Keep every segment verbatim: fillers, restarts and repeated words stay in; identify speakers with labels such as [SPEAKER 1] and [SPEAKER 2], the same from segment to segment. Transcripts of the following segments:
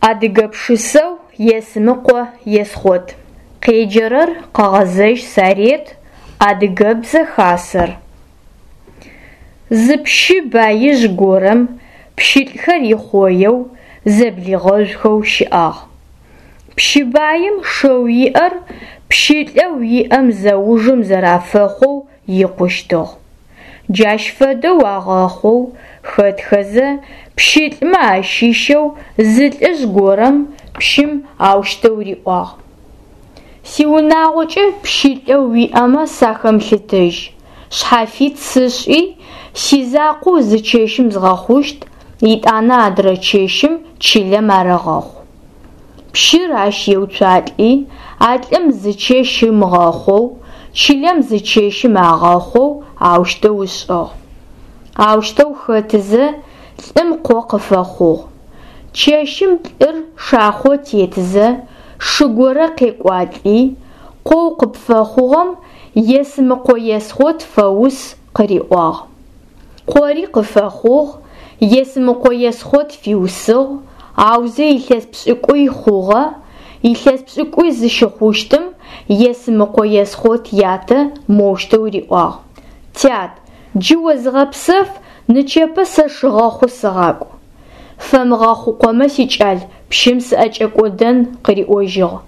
[SPEAKER 1] Адыгэ пшысэу Есмыкъо Есхъот. Къеджэрэр Къэгъэзэжь Сарет, Адыгэбзэ Хасэр. Зы пщы баижъ горэм пщылӏхэр ихъоеу, зэблигъэжъухэу щыӏагъ. Пщы баим шэу иӏэр пщылӏэу иӏэм зэужым зэрафэхъоу икъущтыгъ. Джащ фэдэу агъэхъоу, хэтхэзэ, пщылӏмэ ащыщэу зы лӏыжъ горэм пщым аущтэу риӏуагъ: Сиунагъокӏэ пщылӏэу уиӏэмэ сахэмылъытэжь, шъхьафит сышӏи, сизакъоу зы чэщым згъэхъущт, етӏанэ адрэ чэщым чылэм арэгъэхъу. Пщыр ащ еуцуалӏи, а лӏым зы чэщ ымыгъэхъоу, чылэм зы чэщым агъэхъоу аущтэу ышӏыгъ. Аущтэу хэтызэ лӏым къо къыфэхъугъ. Чэщым лӏыр шахъо тетызэ шы горэ къекӏуалӏи, къоу къыпфэхъугъэм Есмыкъо Есхъот фэус къыриӏуагъ. Къори къыфэхъугъ, Есмыкъо Есхъот фиусыгъ, аузэ илъэс пшӏыкӏуй хъугъэ, илъэс пшӏыкӏуй зыщыхъущтым Есмыкъо Есхъот ятэ моущтэу риӏуагъ: Тят, джы о зыгъэпсэф, нычэпэ сэ шыгъэхъу сыгъакӏу. Фэмыгъэхъукъомэ сикӏал, пщым сыӏэкӏэкӏодэн къыриӏожьыгъ.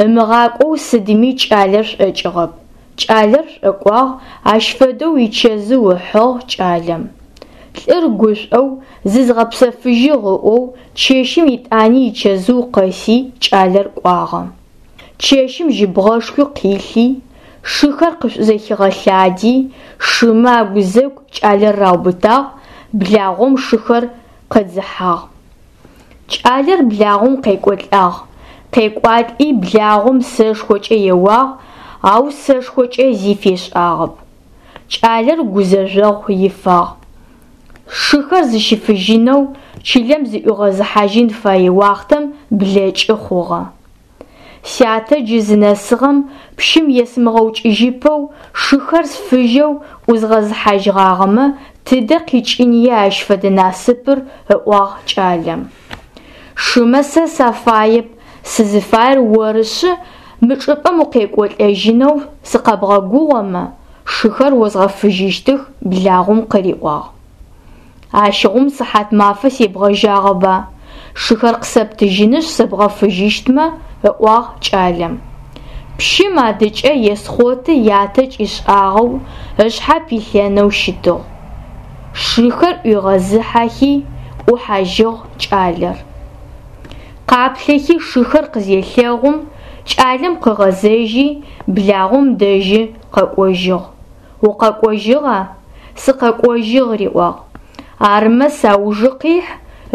[SPEAKER 1] Ымыгъакӏоу сыдми кӏалэр шӏокӏыгъэп. Кӏалэр шӏокӏуагъ, ащ фэдэу ичэзыу ыхьыгъ кӏалэм. Лӏыр гушӏоу, зызгъэпсэфыжьыгъ ыӏоу, чэщым етӏани ичэзыу къэси кӏалэр кӏуагъэ. Чэщым жьыбгъэшхуи къилъи, шыхэр къышӏузэхигъэлъади, шымэ агузэгу кӏалэр раубытагъ, благъом шыхэр къыдзыхьагъ. Кӏалэр благъом къекӏолӏагъ, къекӏуалӏи благъом сэшхокӏэ еуагъ, ау сэшхокӏэ зи фешӏагъэп. Кӏалэр гузэжъогъу ифагъ. Шыхэр зыщифыжьынэу чылэм зыӏуигъэзыхьажьын фэе уахътэм блэкӏы хъугъэ. Сятэ джы зынэсыгъэм пщым есымыгъэукӏыжьыпэу шыхэр сфыжьэу ӏузгъэзыхьажьыгъагъэмэ, тыдэ къикӏыния ащ фэдэ насыпыр, ыӏуагъ кӏалэм. Шымэ сэ сафаеп, сызыфаер орышъы, мы чӏыпӏэм укъекӏолӏэжьынэу сыкъэбгъэгугъэмэ, шыхэр озгъэфыжьыщтых, благъом къыриӏуагъ. Ащыгъум сыхьат мафэ себгъэжьагъэба, шыхэр къысэптыжьынышъ сэбгъэфыжьыщтмэ, ыӏуагъ кӏалэм. Пщым адыкӏэ Есхъоты ятэ кӏишӏагъэу ышъхьэ пилъэнэу щытыгъ. Шыхэр ӏуигъэзыхьэхи, ӏухьажьыгъ кӏалэр. Къаплъэхи шыхэр къызелъэгъум, кӏалэм къыгъэзэжьи, благъом дэжьы къэкӏожьыгъ. Укъэкӏожьыгъа? Сыкъэкӏожьыгъ, риӏуагъ. Армэ саужы къихь,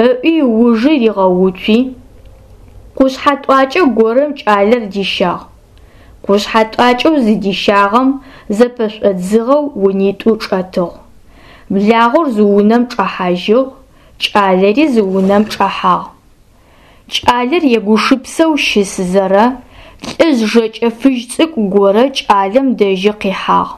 [SPEAKER 1] ыӏуи ыужы ригъэуцуи, къушъхьэ тӏуакӏэ горэм кӏалэр дищагъ. Къушъхьэ тӏуакӏэу зыдищагъэм зэпэшӏодзыгъэу унитӏу чӏэтыгъ. Благъор зы унэм чӏэхьажьыгъ, кӏалэри зы унэм чӏэхьагъ. Кӏалэр егушыпсэу щысызэрэ, лӏыжъ жэкӏэ фыжь цӏыкӏу горэ кӏалэм дэжьы къихьагъ.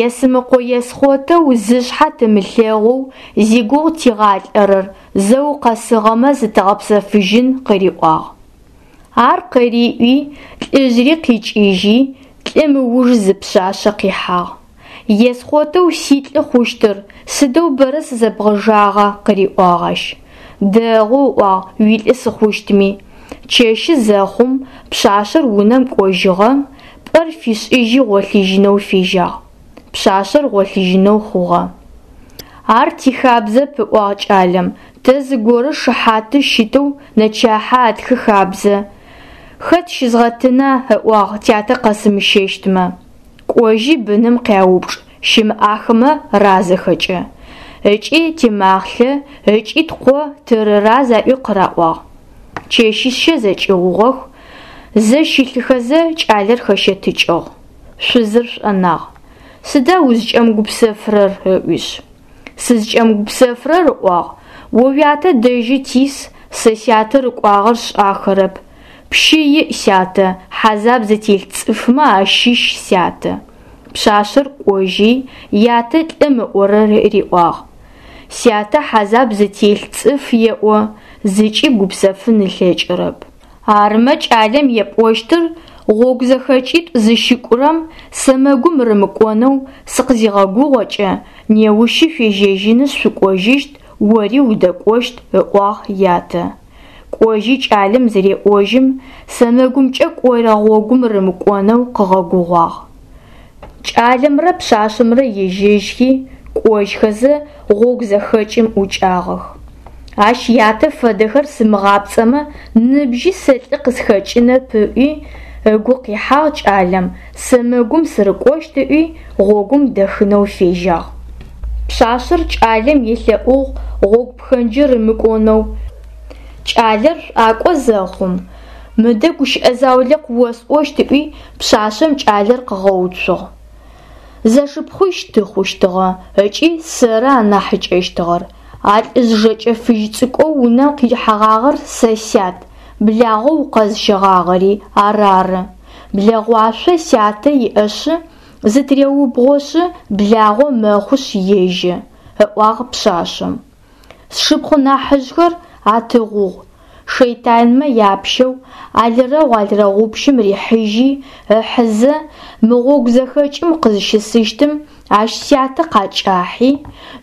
[SPEAKER 1] Есмыкъо Есхъотэу зышъхьэ тымылъэгъоу зигугъу тигъалӏэрэр зэ укъэсыгъэмэ зытэгъэпсэфыжьын къыриӏуагъ. Ар къыриӏуи, лӏыжъри къикӏыжьи, лӏым ыуж зы пшъашъэ къихьагъ. Есхъотэу силӏы хъущтыр, сыдэу бэрэ сызэбгъэжагъа, къыриӏуагъ ащ. Дэгъу, ыӏуагъ, уилӏы сыхъущтми. Чэщы зэхъум пшъашъэр унэм кӏожьыгъэ, пӏэр фишӏыжьи гъолъыжьынэу фежьагъ. Пшъашъэр гъолъыжьынэу хъугъэ. Ар тихабзэп, ыӏуагъ кӏалэм, тэ зыгорэ шыхьаты щытэу нэчахьэ атхы хабзэ. Хэт щызгъэтына, ыӏуагъ, тятэ къэсымыщэщтмэ. Кӏожьи быным къяупчӏ, щымыӏахымэ разэхэкӏэ. Ыкӏи тимахълъэ, ыкӏи ткъо тырыраз аӏуи къыраӏуагъ. Чэщищэ зэкӏыгъугъэх, зэ щылъыхэзэ кӏалэр хэщэтыкӏыгъ. Шъузыр шӏонагъ. Сыда узкӏэмыгупсэфырэр, ыӏуишъ. Сызкӏэмыгупсэфырэр, ыӏуагъ, о уятэ дэжьы тис, сэ сятэ рыкӏуагъэр сшӏахэрэп. Пщы иӏ сятэ, хьазаб зытелъ цӏыфмэ ащыщ сятэ. Пшъашъэр кӏожьи, ятэ лӏым ыӏорэр риӏуагъ. Сятэ хьазаб зытелъ цӏыф еӏо, зыкӏи гупсэфын ылъэкӏырэп. Армэ кӏалэм епӏощтыр, гъогу зэхэкӏитӏу зыщыкӏурэм сэмэгум рымыкӏонэу сыкъызигъэгугъэкӏэ, неущы шъуежьэжьынышъ шъукӏожьыщт, ори удэкӏощт, ыӏуагъ ятэ. Кӏожьи кӏалэм зыреӏожьым, сэмэгумкӏэ кӏорэ гъогум рымыкӏонэу къыгъэгугъуагъ. Кӏалэмрэ пшъашъэмрэ ежьэжьхи, кӏожьхэзэ гъогу зэхэкӏым ӏукӏагъэх. Ащ ятэ фэдэхэр сымыгъапцӏэмэ, ныбжьи сэ лӏы къысхэкӏынэп ыӏуи, ыгу къихьагъ кӏалэм, сэмэгум сырыкӏощт ыӏуи, гъогум дэхынэу фежьагъ. Пшъашъэр кӏалэм елъэӏугъ гъогу пхэнджыр ымыкӏонэу. Кӏалэр шӏуакӏо зэхъум, мыдэ гущыӏэ заулэ къыосӏощт ыӏуи, пшъашъэм кӏалэр къыгъэуцугъ. Зэшыпхъуищ тыхъущтыгъэ ыкӏи сэры анахьыкӏэщтыгъэр. А лӏыжъ жэкӏэ фыжь цӏыкӏоу унэм къихьэгъагъэр сэ сят, благъэу укъэзыщэгъагъэри ар ары. Блэгъуашъо сятэ иӏэшъы, зытыреубгъошъы благъо мэхъушъ ежьэ, ыӏуагъ пшъашъэм. Сшыпхъу нахьыжъхэр атыгъугъ, шэйтанмэ япщэу, алырэгъу алырэгъупщым рихьыжьи, ыхьызэ, мы гъогу зэхэкӏым къызщысыщтым ащ сятэ къакӏахьи,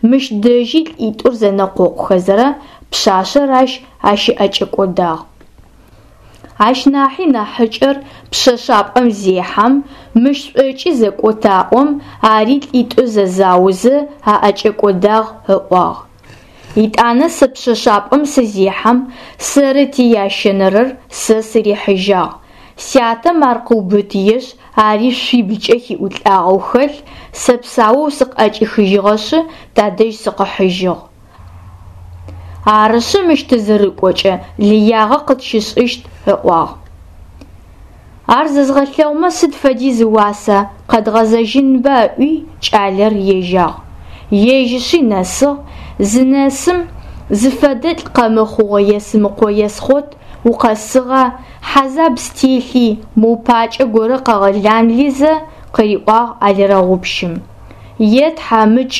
[SPEAKER 1] мыщ дэжьи лӏитӏур зэнэкъокъухэзэрэ пшъашъэр ащ ащыӏэкӏэкӏодагъ. Ащ нахьи нахьыкӏэр пшъэшъапӏэм зехьэм, мыщ шӏокӏи зэкӏотаӏом, ари лӏитӏу зэзаозэ аӏэкӏэкӏодагъ, ыӏуагъ. Итӏанэ сэ пшъэшъапӏэм сызехьэм, сэрыти ящэнэрэр сэ сырихьыжьагъ. Сятэм ар къыубытыешъ, ари шъуиблкӏэ хиӏулӏагъэу хэлъ, сэ псаоу сыкъыӏэкӏихыжьыгъэшъы, тадэжь сыкъыхьыжьыгъ. Арышъы мыщ тызырыкӏокӏэ лыягъэ къытщышӏыщт, ыӏуагъ. Ар зэзгъэлъэгъумэ сыд фэдиз ыуаса, къэдгъэзэжьынба ыӏуи, кӏалэр ежьагъ. Ежьышъи нэсыгъ, зынэсым зыфэдэ лӏы къэмыхъугъэ Есымыкъо Есхъот укъэсыгъа, хьазаб стелъи, моу пакӏэ горэ къэгъэланлызэ, къыриӏуагъ алырэгъупщым. Е тхьамыкӏ,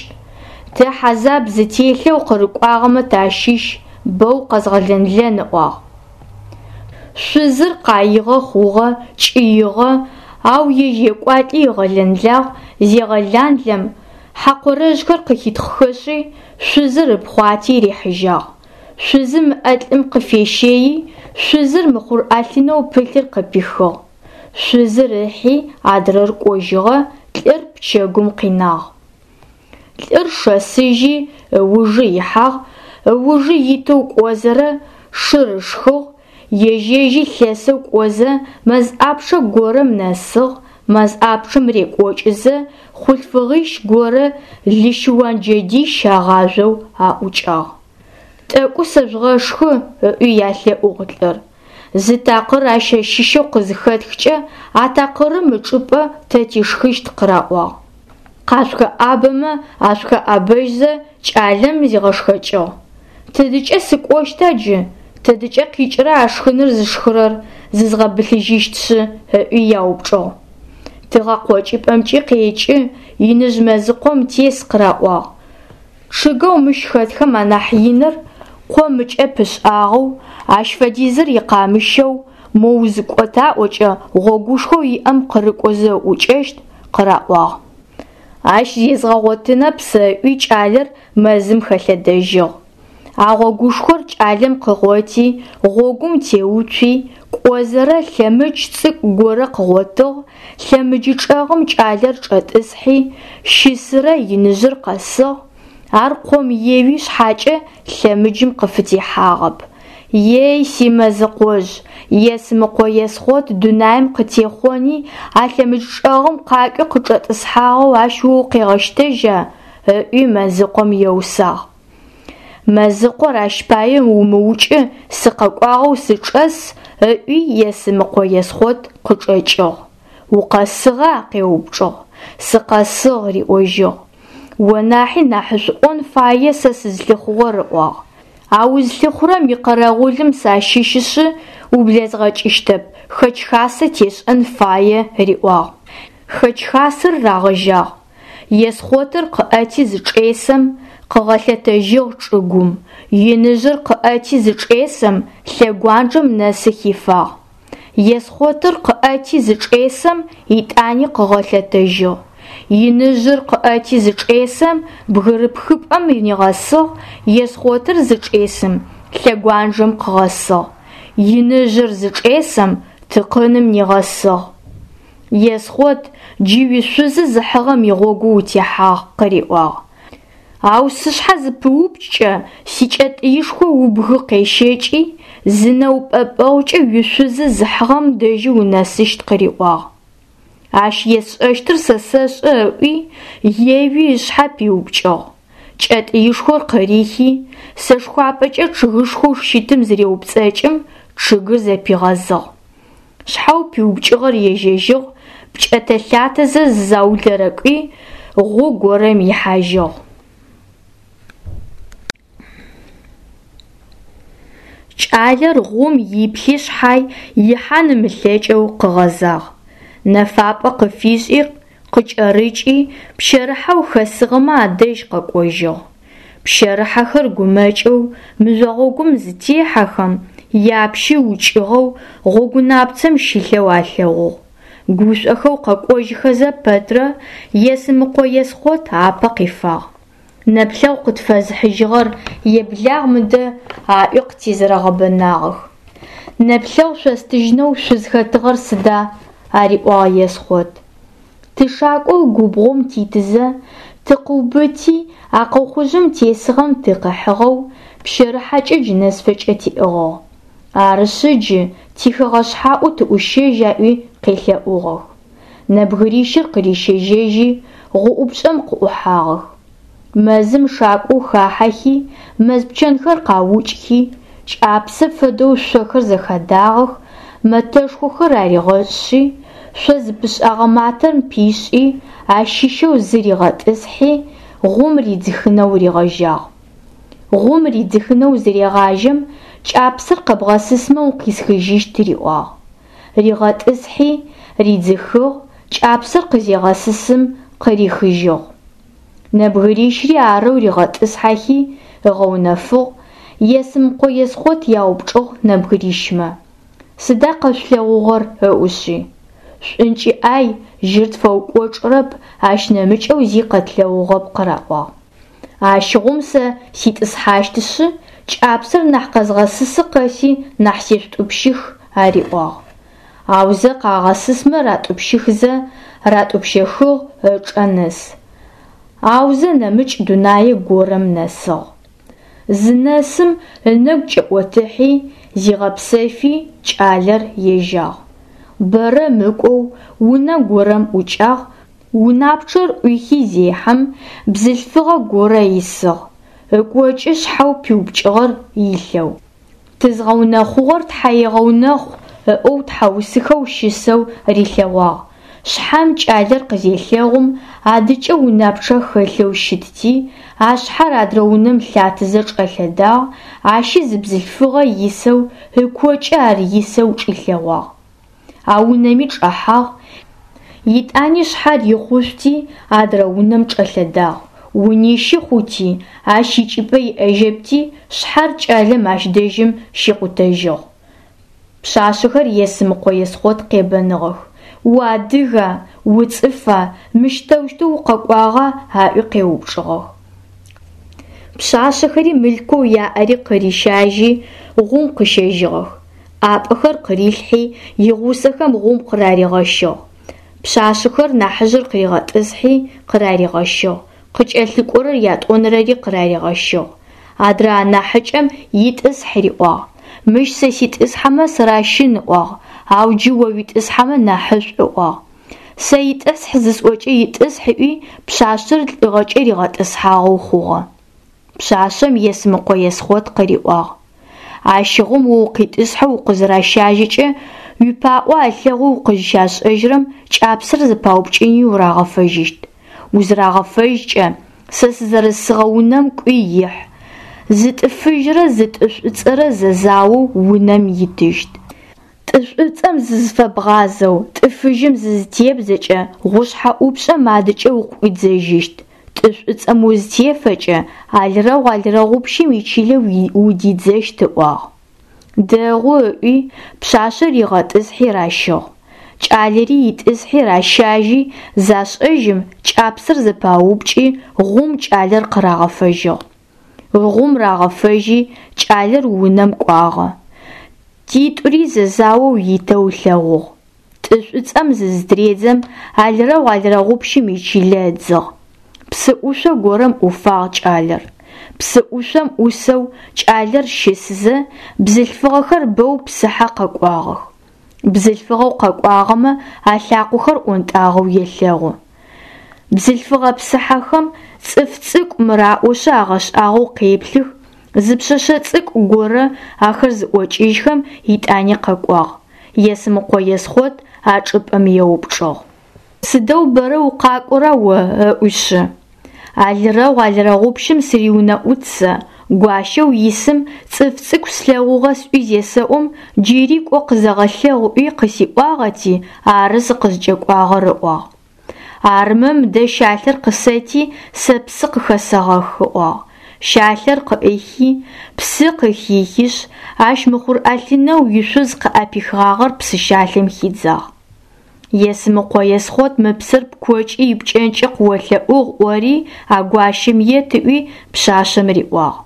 [SPEAKER 1] тэ хьазаб зытелъэу къырыкӏуагъэмэ тащыщ, бэу къэзгъэлэнлэн ыӏуагъ. Шъузыр къаигъэ хъугъэ, кӏыигъэ, ау ежь екӏуалӏи ыгъэлэнлагъ, зегъэланлэм, хьакъурэжъхэр къыхитхъхэшъи, шъузыр ыпхъуати рихьыжьагъ. Шъузым ыӏэ лӏым къыфещэи, шъузыр мыхъур ӏэлъынэу пылъыр къыпихыгъ. Шъузыр ыхьи, адрэр кӏожьыгъэ, лӏыр пчэгум къинагъ. Лӏыр шэсыжьи, ыужы ихьагъ, ыужы итэу кӏозэрэ шыр ышхыгъ, ежь-ежьи лъэсэу кӏозэ мэз ӏапчъэ горэм нэсыгъ, мэз ӏапчъэм рекӏокӏызэ хъулъфыгъищ горэ лыщыуан джэдищ агъажъоу аӏукӏагъ. Тӏэкӏу сэжъугъэшхы, ыӏуи ялъэӏугъ лӏыр. Зы такъыр ащ щыщэу къызыхэтхкӏэ, а такъырым ычӏыпӏэ тэ тишхыщт къыраӏуагъ. Къашъухэӏабэмэ ашъухэӏабэжьзэ кӏалэм зигъэшхэкӏыгъ. Тыдыкӏэ сыкӏощта джы? Тыдыкӏэ къикӏырэ а шхыныр зышхырэр зызгъэбылъыжьыщтшъы, ыӏуи яупчӏыгъ. Тыгъэ къокӏыпӏэмкӏи къекӏы, иныжъ мэзыкъом тес къыраӏуагъ. Чъыгэу мыщ хэтхэм анахь иныр къом ыкӏэ пышӏагъэу, ащ фэдизыр икъамыщэу, мо узыкӏотаӏокӏэ гъогушхоу иӏэм къырыкӏозэ ыӏукӏэщт, къыраӏуагъ. Ащ зезгъэгъотынэп сэ ыӏуи кӏалэр мэзым хэлъэдэжьыгъ. А гъогушхор кӏалэм къыгъоти, гъогум теуцуи, кӏозэрэ лъэмыдж цӏыкӏу горэ къыгъотыгъ, лъэмыджы чӏэгъым кӏалэр чӏэтӏысхьи, щысырэ иныжъыр къэсыгъ, ар къом еуи шъхьакӏэ лъэмыджым къыфытехьагъэп. Ей, си мэзыкъожъ, Есымыкъо Есхъот дунаим къытехъони, а лъэмыдж чӏэгъым къакӏуи къычӏэтӏысхьагъэу ащ о укъегъэщтэжьа? Ыӏуи мэзыкъом еусагъ. Мэзыкъор ащ пае умыукӏы, сыкъэкӏуагъэу сычӏэс, ыӏуи Есымыкъо Есхъот къычӏэкӏыгъ. Укъэсыгъа? Къеупчӏыгъ. Сыкъэсыгъ, риӏожьыгъ. О нахьи нахьышӏуӏон фае сэ сызлъыхъугъэр, ыӏуагъ. А узлъыхъурэм икъэрэгъулым сащыщышъы ублэзгъэкӏыщтэп, хэч-хасэ тешӏэн фае, риӏуагъ. Хэч-хасэр рагъэжьагъ. Есхъотыр къыӏэти зычӏесэм, Къыгъэлъэтэжьыгъ чӏыгум. Иныжъыр къыӏэти зычӏесэм, лъэгуанджэм нэсы хифагъ. Есхъотыр къыӏэти зычӏесэм, итӏани къыгъэлъэтэжьыгъ. Иныжъыр къыӏэти зычӏесэм, бгырыпхыпӏэм нигъэсыгъ, Есхъотыр зычӏесым, лъэгуанджэм къыгъэсыгъ. Иныжъыр зычӏесэм, тыкъыным нигъэсыгъ. Есхъот, джы уишъузы зыхьыгъэм игъогу утехьагъ, къыриӏуагъ. Ау сышъхьэ зыпыупкӏкӏэ, сикӏэтӏыишхо убгы къещэкӏи, зы нэупӏэпӏэгъукӏэ уишъузы зыхьыгъэм дэжьы унэсыщт, къыриӏуагъ. Ащ есшӏэщтыр сэ сэшӏэ ыӏуи, еуи ышъхьэ пиупкӏыгъ. Кӏэтӏыишхор къырихи, сэшхуапӏэкӏэ чъыгышхоу щытым зыреупцӏэкӏым, чъыгыр зэпигъэзыгъ. Шъхьэу пиупкӏыгъэр ежьэжьыгъ, пкӏэтэ-лъатэзэ зы заулэрэ кӏуи, гъу горэм ихьажьыгъ. Кӏалэр гъум иплъи шъхьай ихьан ымылъэкӏэу къыгъэзагъ. Нэфапӏэ къыфишӏи, къыкӏэрыкӏи, пщэрыхьэу хэсыгъэмэ адэжь къэкӏожьыгъ. Пщэрыхьэхэр гумэкӏэу мыжъо гъогум зытехьэхэм, япщы укӏыгъэу гъогунапцэм щылъэу алъэгъугъ. Гушӏохэу къэкӏожьхэзэ пэтрэ Есымыкъо Есхъот апэ къифагъ. Нэплъэгъу къытфэзыхьыжьыгъэр еблагъ мыдэ аӏуи къытезэрэгъэбэнагъэх. Нэплъэгъу шъостыжьынэу шъузхэтыгъэр сыда? Ариӏуагъ Есхъот. Тышакӏоу губгъом титызэ, тыкъыубыти, акъохъужъым тесыгъэм тыкъыхьыгъэу, пщэрыхьэкӏэ джынэсфэкӏэ тиӏыгъыгъ. Арышъы джы тихэгъэшъхьаӏу тыӏущэжь аӏуи къелъэӏугъэх. Нэбгырищыр къырищэжьэжьи, гъуӏупшӏэм къыӏухьагъэх. Мэзым шакӏоу хахьэхи, мэз пчэнхэр къаукӏхи, кӏапсэ фэдэу шъохэр зэхадагъэх, мэтэшхохэр аригъэшӏи, шъо зыпышӏагъэ матэм пишӏи, ащыщэу зы ригъэтӏысхьи, гъум ридзыхынэу ригъэжьагъ. Гъум ридзыхынэу зырегъажьэм, кӏапсэр къэбгъэсысмэ укъисхыжьыщт риӏуагъ. Ригъэтӏысхьи, ридзыхыгъ, кӏапсэр къызегъэсысым къырихыжьыгъ. Нэбгырищри арэу ригъэтӏысхьэхи, ыгъэунэфыгъ, Есымыкъо Есхъот яупчӏыгъ нэбгырищмэ. Сыда къэшъулъэгъугъэр ыӏушъи. Шӏункӏи ӏай, жьыр тфэукӏочӏырэп, ащ нэмыкӏэу зи къэтлъэгъугъэп къыраӏуагъ. Ащыгъум сэ ситӏысхьащтышъы, кӏапсэр нахь къэзгъэсысы къэси нахь сешъутӏупщых, ариӏуагъ. Аузэ къагъэсысмэ ратӏупщыхзэ, ратӏупщэхыгъ ычӏэ нэс. Аузэ нэмыкӏ дунае горэм нэсыгъ. Зынэсым ынэгу кӏэӏотыхьи, зигъэпсэфи кӏалэр ежьагъ. Бэрэ мыкӏоу унэ горэм ӏукӏагъ, унапчъэр ӏуихи зехьэм, бзылъфыгъэ горэ исыгъ, ыкӏокӏы шъхьэу пиупкӏыгъэр илъэу. Тызгъэунэхъугъэр тхьаегъэунэхъу ыӏоу тхьаусыхэу щысэу рилъэгъуагъ. Шъхьэм кӏалэр къызелъэгъум, адыкӏэ унапчъэ хэлъэу щытти, а шъхьэр адрэ унэм лъатэзэ чӏэлъэдагъ, ащи зы бзылъфыгъэ исэу, ыкокӏэ ар исэу чӏилъэгъуагъ. А унэми чӏэхьагъ, итӏани шъхьэр ихъушъути, адрэ унэм чӏэлъэдагъ. Унищы хъути, ащ икӏыпӏэ иӏэжьэпти, шъхьэр кӏалэм ащ дэжьым щикъутэжьыгъ. Пшъашъэхэр Есымыкъо Есхъот къебэныгъэх. Уадыга, уцӏыфа, мыщ тэущтэу укъэкӏуагъа аӏуи къеупчӏыгъэх. Пшъашъэхэри мылъкоу яӏэри къырищажьи, гъум къыщэжьыгъэх. ӏапӏэхэр къырилъхьи, игъусэхэм гъум къыраригъэщыгъ. Пшъашъэхэр нахьыжъыр къыригъэтӏысхьи, къыраригъэщыгъ. Къыкӏэлъыкӏорэр ятӏонэрэри къыраригъэщыгъ. Адрэ анахьыкӏэм итӏысхь риӏуагъ. Мыщ сэ ситӏысхьэмэ сыращын ыӏуагъ, ау джы о уитӏысхьэмэ нахьышӏу ыӏуагъ. Сэ итӏысхь зысӏокӏэ итӏысхь ыӏуи, пшъашъэр лӏыгъэкӏэ ригъэтӏысхьагъэу хъугъэ. Пшъашъэм Есымыкъо Есхъот къыриӏуагъ. Ащыгъум о укъитӏысхьэу укъызыращажьэкӏэ, уипаӏо алъэгъоу укъызщашӏэжьырэм кӏапсэр зэпаупкӏыни урагъэфэжьыщт. Узырагъэфэжькӏэ, сэ сызэрысыгъэ унэм кӏуи ихь. Зы тӏы фыжьрэ зы тӏы шӏуцӏэрэ зэзаоу унэм итыщт. Тӏы шӏуцӏэм зызыфэбгъазэу, тӏы фыжьым зызытебдзэкӏэ, гъушъхьэ ӏупшӏэм адыкӏэ укъыӏуидзэжьыщт. Тӏы шӏуцӏэм узытефэкӏэ, алрэгъу алрэгъупщым ичылэ удидзэщт ыӏуагъ. Дэгъу ыӏуи, пшъашъэр ригъэтӏысхьи ращыгъ. Кӏалэри итӏысхьи ращажьи, зашӏэжьым, кӏапсэр зэпаупкӏи, гъум кӏалэр къырагъэфэжьыгъ. Гъум рагъэфэжьи, кӏалэр унэм кӏуагъэ. Титӏури зэзаоу итэу ылъэгъугъ. Тӏы шӏуцӏэм зызытыредзэм, алрэгъу алрэгъупщым ичылэ ыдзыгъ. Псы ӏушъо горэм ӏуфагъ кӏалэр. Псы ӏушъом ӏусэу кӏалэр щысызэ, бзылъфыгъэхэр бэу псыхьэ къэкӏуагъэх. Бзылъфыгъэу къэкӏуагъэмэ алъакъохэр ӏонтӏагъэу елъэгъу. Бзылъфыгъэ псыхьэхэм цӏыф цӏыкӏу мыраӏошъы агъэшӏагъоу къеплъых, зы пшъэшъэ цӏыкӏу горэ ахэр зыӏокӏыжьхэм итӏани къэкӏуагъ. Есмыкъо Есхъот а чӏыпӏэм еупчӏыгъ. Сыдэу бэрэ укъакӏора о ыӏуишъы. Алрэгъу алрэгъупщым сыриунэӏут сэ, гуащэу исым цӏыф цӏыкӏу слъэгъугъэ сӏуи зесэӏом, джыри кӏо къызэгъэлъэгъу ыӏуи къысиӏуагъэти, ары сыкъызкӏэкӏуагъэр ыӏуагъ. Армэ мыдэ щалъэр къысэти, сэ псы къыхэсэгъэх ыӏуагъ. Щалъэр къыӏихи, псы къыхихишъ, ащ мыхъур ӏэлъынэу ишъуз къыӏэпихыгъагъэр псы щалъэм хидзагъ. Есмыкъо Есхъот мы псыр пкокӏи ипкӏэнкӏи къыолъэӏугъ ӏори а гуащэм ет ыӏуи пшъашъэм риӏуагъ.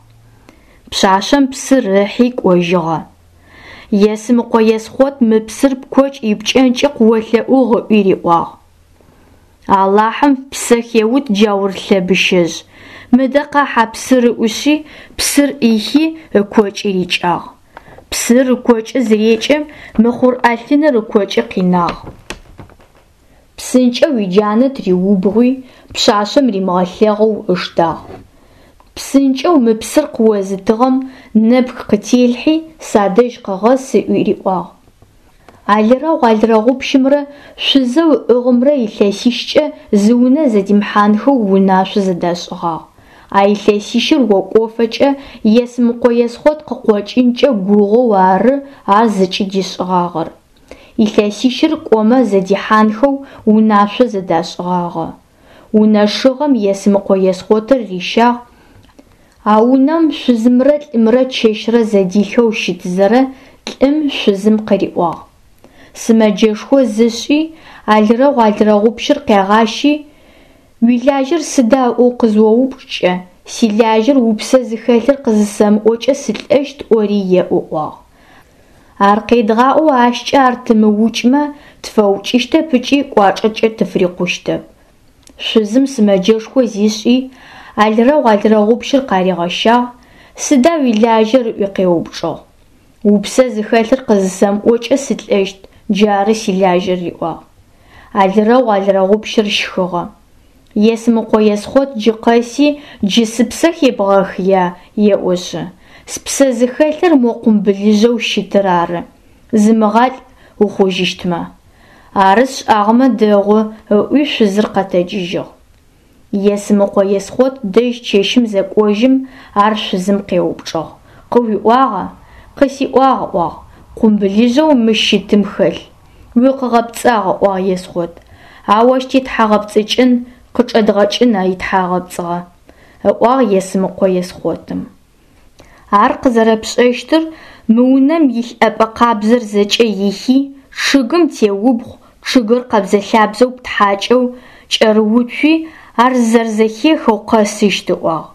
[SPEAKER 1] Пшъашъэм псыр ыхьи кӏожьыгъэ. Есмыкъо Есхъот мы псыр пкокӏ ипкӏэнкӏи къыолъэӏугъ ыӏуи риӏуагъ. Алахьым псэ хеут джаур лъэбыщэжъ. Мыдэ къахь а псыр ыӏушъи, псыр ӏихи ыкокӏи рикӏагъ. Псыр ыкокӏы зырекӏэм, мыхъур ӏэлъыныр ыкокӏы къинагъ. Псынкӏэу иджанэ тыриубгъуи, пшъашъэм римыгъэлъэгъоу ыштагъ. Псынкӏэу мы псыр къыозытыгъэм нэпх къытелъхьи, садэжь къэгъэс ыӏуи риӏуагъ. Алрэгъу алрэгъупщымрэ шъузэу ыӏыгъымрэ илъэсищкӏэ зы унэ зэдимыхьанхэу унашъо зэдашӏыгъагъ. А илъэсищыр окӏофэкӏэ Есмыкъо Есхъот къыкъокӏынкӏэ гугъоу ары ар зыкӏыдишӏыгъагъэр. Илъэсищыр кӏомэ зэдихьанхэу унашъо зэдашӏыгъагъэ. Унэ шыгъэм Есмыкъо Есхъотыр рищагъ. А унэм шъузымрэ лӏымрэ чэщрэ зэдилъхэу щытызэрэ лӏым шъузым къыриӏуагъ. Сымэджэшхо зышӏи, алрэгъу алрэгъупщыр къегъащи, уилажьэр сыда ыӏоу къызыоупчӏкӏэ, силажьэр упсэ зыхэлъыр къызысэмыӏокӏэ сылӏэщт ӏори еӏу ыӏуагъ. Ар къедгъаӏоу ащкӏэ ар тымыукӏмэ, тфэукӏыщтэп ыкӏи кӏуачӏэкӏэ тыфрикъущтэп. Шъузым сымэджэшхо зишӏи, алрэгъу алрэгъупщыр къаригъэщагъ, сыда уилажьэр ыӏуи къеупчӏыгъ. Упсэ зыхэлъыр къызысэмыӏокӏэ сылӏэщт, джары силажьэр риӏуагъ. Алрэгъу алрэгъупщыр щхыгъэ. Есмыкъо Есхъот джы къэси джы сыпсэ хебгъэхыя еӏошъы. Спсэ зыхэлъыр мо къумбылыжъэу щытыр ары. Зымыгъалӏ ухъужьыщтмэ. Ары сшӏагъэмэ дэгъу ыӏуи шъузыр къэтэджыжьыгъ. Есмыкъо Есхъот дэжь чэщым зэкӏожьым ар шъузым къеупчӏыгъ. Къыуиӏуагъа? Къысиӏуагъ ыӏуагъ. Къумбылыжъэу мыщ щытым хэлъ. Уикъыгъэпцӏагъ ыӏуагъ Есхъот. Ау ащ тетхьагъэпцӏыкӏын, къычӏэдгъэкӏын а итхьагъэпцӏыгъэ. Ыӏуагъ Есмыкъо Есхъотым. Ар къызэрэпшӏэщтыр мы унэм илъ ӏэпӏэ къабзэр зэкӏэ ихи, чъыгым теубгъу, чъыгыр къэбзэ-лъабзэу птхьакӏэу, кӏэрыуцуи, ар зэрэзэхехэу къэсыщт ыӏуагъ.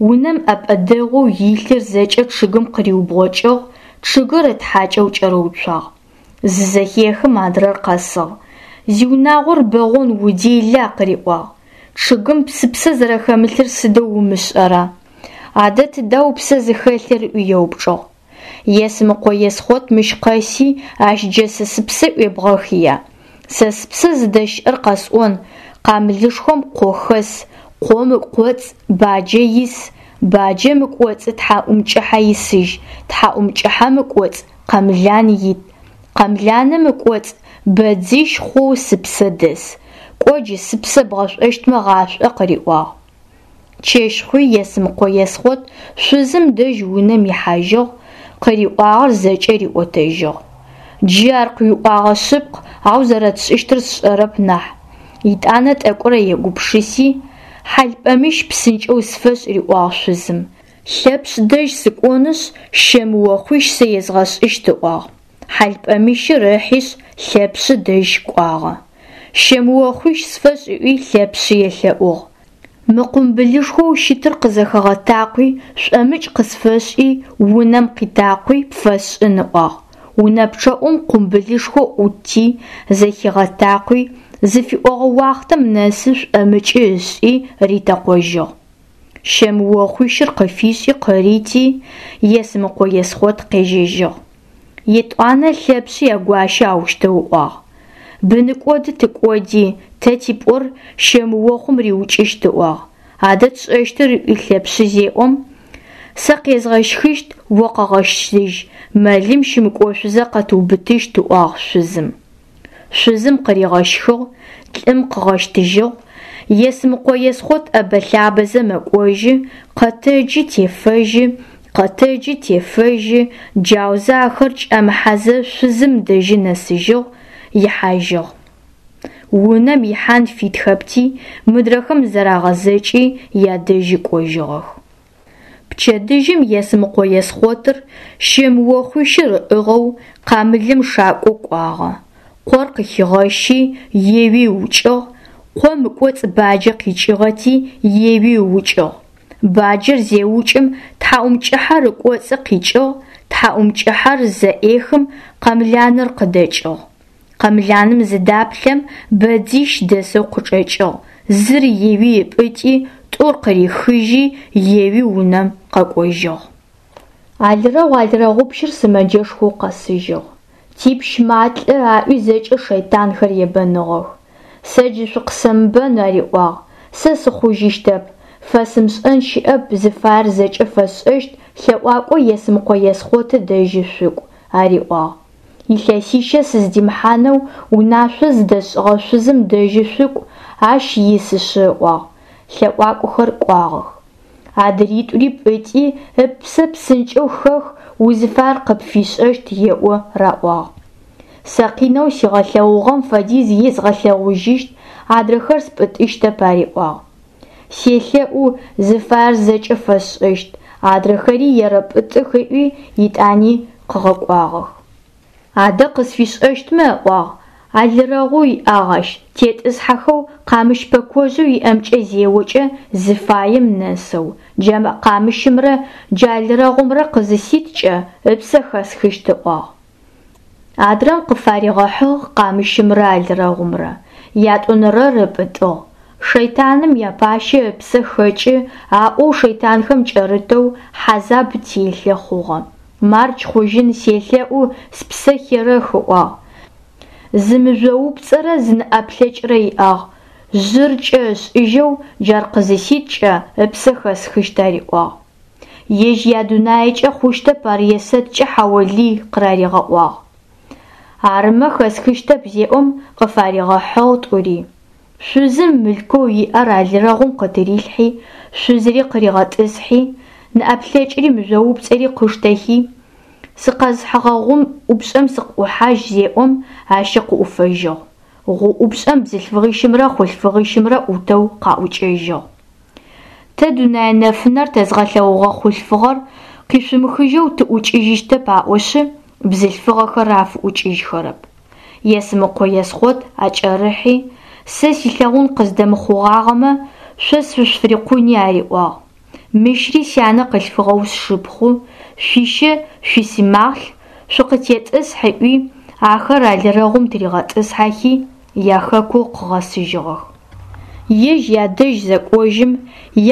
[SPEAKER 1] Унэм ӏэпӏэ дэгъоу илъыр зэкӏэ чъыгым къыриубгъокӏыгъ, чъыгыр ытхьакӏэу кӏэрыуцуагъ. Зызэхехым адрэр къэсыгъ. Зиунагъор бэгъон удела къыриӏуагъ. Чъыгым псыпсэ зэрэхэмылъыр сыдэу умышӏэра? Адэ тыда упсэ зыхэлъыр ыӏуи еупчӏыгъ. Есмыкъо Есхъот мыщ къэси, ащ джэ сэ сыпсэ ӏуебгъэхыя? Сэ сыпсэ зыдэщыӏэр къэсӏон, къамылышхом къо хэс, къом ыкӏоцӏ баджэ ис, баджэм ыкӏоцӏы тхьаӏумкӏыхьэ исыжь, тхьаӏумкӏыхьэм ыкӏоцӏ къэмлан ит, къэмланым ыкӏоцӏ бэдзищ хъоу сыпсэ дэс. Кӏо джы сыпсэ бгъэшӏощтмэ гъашӏо къыриӏуагъ. Чэщ хъуи Есмыкъо Есхъот шъузым дэжь унэм ихьажьыгъ, къыриӏуагъэр зэкӏэ риӏотэжьыгъ. Джы ар къыуиӏуагъэ шъыпкъ, ау зэрэтшӏыщтыр сшӏэрэп нахь. Итӏанэ тӏэкӏурэ егупшыси, Хьалпӏэмыщ псынкӏэу сфэшӏ, риӏуагъ шъузым. Лъэпшъ дэжь сыкӏонышъ, щэмыохъуищ сэ езгъэшӏыщт, ыӏуагъ. Хьалпӏэмыщыр ыхьишъ, Лъэпшъы дэжь кӏуагъэ. Щэмыохъуищ сфэшӏ ыӏуи Лъэпшъы елъэӏугъ. Мы къумбылышхоу щытыр къызэхэгъэтакъуи, шӏомыкӏ къысфэшӏи, унэм къитакъуи пфэсшӏын, ыӏуагъ. Унэ пчъэӏум къумбылышхо ӏутти, зэхигъэтакъуи, зыфиӏогъэ уахътэм нэсы шӏомыкӏы ышӏи ритэкъожьыгъ. Щэмыохъуищыр къыфишӏи къырити, Есмыкъо Есхъот къежьэжьыгъ. Етӏуанэ Лъэпшъы ягуащэ аущтэу ыӏуагъ: Быныкӏоды тыкӏоди, тэ типӏор щэмыохъум риукӏыщт, ыӏуагъ. Адэ тшӏэщтыр ыӏуи Лъэпшъы зеӏом, сэ къезгъэщхыщт, о къэгъэщтыжь, мэлым щымыкӏошъузэ къэтыубытыщт, ыӏуагъ шъузым. Шъузым къыригъэщхыгъ, лӏым къыгъэщтыжьыгъ. Есмыкъо Есхъот ӏэбэ-лъабэзэ мэкӏожьы, къэтэджы тефэжьы, къэтэджы тефэжьы, джаузэ ахэр кӏэмыхьэзэ шъузым дэжьы нэсыжьыгъ, ихьажьыгъ. Унэм ихьан фитхэпти, мыдрэхэм зэрагъэзэкӏи ядэжьы кӏожьыгъэх. Пчэдыжьым Есмыкъо Есхъотыр щэмыохъуищыр ыӏыгъэу къамылым шакӏо кӏуагъэ. Къор къыхигъэщи, еуи ыукӏыгъ, къом ыкӏоцӏ баджэ къикӏыгъэти, еуи ыукӏыгъ. Баджэр зеукӏым тхьаӏумкӏыхьэр ыкӏоцӏы къикӏыгъ, тхьаӏумкӏыхьэр зэӏехым къэмланыр къыдэкӏыгъ. Къэмланым зыдаплъэм бэдзищ дэсэу къычӏэкӏыгъ, зыр еуи ыпӏытӏи, тӏур къырихыжьи, еуи унэм къэкӏожьыгъ. Алрэгъу алрэгъупщыр сымэджэшхоу къэсыжьыгъ. Типщ малӏэ аӏуи зэкӏэ шэйтанхэр ебэныгъэх. Сэ джы шъукъысэмыбэн, ариӏуагъ. Сэ сыхъужьыщтэп. Фэсымышӏэн щыӏэп, зыфаер зэкӏэ фэсшӏэщт, лъэӏуакӏо Есмыкъо Есхъоты дэжьы шъукӏу, ариӏуагъ. Илъэсищэ сыздимыхьанэу унашъо зыдэсшӏыгъэ шъузым дэжьы шъукӏу, ащ исышъы, ыӏуагъ. Лъэӏуакӏохэр кӏуагъэх. Адритӏури пӏытӏи, ыпсэ псынкӏэу хэх, узыфаер къыпфишӏэщт, еӏо, раӏуагъ. Сэ къинэу сигъэлъэгъугъэм фэдиз езгъэлъэгъужьыщт, адрэхэр спӏытӏыщтэп, ариӏуагъ. Селъэӏу, зыфаер зэкӏэ фэсшӏэщт, адрэхэри ерэпӏытӏых ыӏуи, итӏани къыгъэкӏуагъэх. Адэ къысфишӏэщтмэ, ыӏуагъ, алрэгъу иӏагъ ащ, тетӏысхьэхэу къамыщ пэкожъэу иӏэмкӏэ зеокӏэ зыфаем нэсэу, джа къамыщымрэ джа алрэгъумрэ къызыситкӏэ ыпсэ хэсхыщт, ыӏуагъ. Адрэм къыфаригъэхьыгъ къамыщымрэ алрэгъумрэ, ятӏонэрэр ыпӏытӏыгъ. Шэйтаным япащэ ыпсэ хэкӏы аӏоу шэйтанхэм кӏэрытэу хьазаб телъэ хъугъэ. Мардж хъужьын селъэӏу, спсэ херэх, ыӏуагъ. Зы мыжъоупцӏэрэ зы нэӏэплъэкӏрэ иӏагъ, жъыр кӏэ ышӏыжьэу джар къызыситкӏэ ыпсэ хэсхыщт, ариӏуагъ. Ежь ядунаекӏэ хъущтэп ар есэткӏэ хьаолый къыраригъэӏуагъ. Арымэ хэсхыщтэп зеӏом къыфаригъэхьыгъ тӏури. Шъузым мылъкоу иӏэр алрэгъум къытырилъхьи, шъузыри къыригъэтӏысхьи, нэӏэплъэкӏри мыжъоупцӏэри къыштэхи, сыкъэзыхьыгъэ гъум ӏупшӏэм сыкъыӏухьажь зеӏом, ащи къыӏуфэжьыгъ. Гъу ӏупшӏэм бзылъфыгъищымрэ хъулъфыгъищымрэ ӏутэу къаӏукӏэжьыгъ. Тэ дунэе нэфынэр тэзгъэлъэгъугъэ хъулъфыгъэр къишъумыхыжьэу тыӏукӏыжьыщтэп аӏошъы, бзылъфыгъэхэр афыӏукӏыжьхэрэп. Есмыкъо Есхъот акӏэрыхьи, сэ силъэгъун къыздэмыхъугъагъэмэ, шъо сышъуфырикъуни ариӏуагъ. Мыщри сянэ къылъфыгъэу сшыпхъу, шъуищэ шъуисымахълъ, шъукъытетӏысхь ыӏуи, ахэр алрэгъум тыригъэтӏысхьэхи, яхэку къыгъэсыжьыгъэх. Ежь ядэжь зэкӏожьым,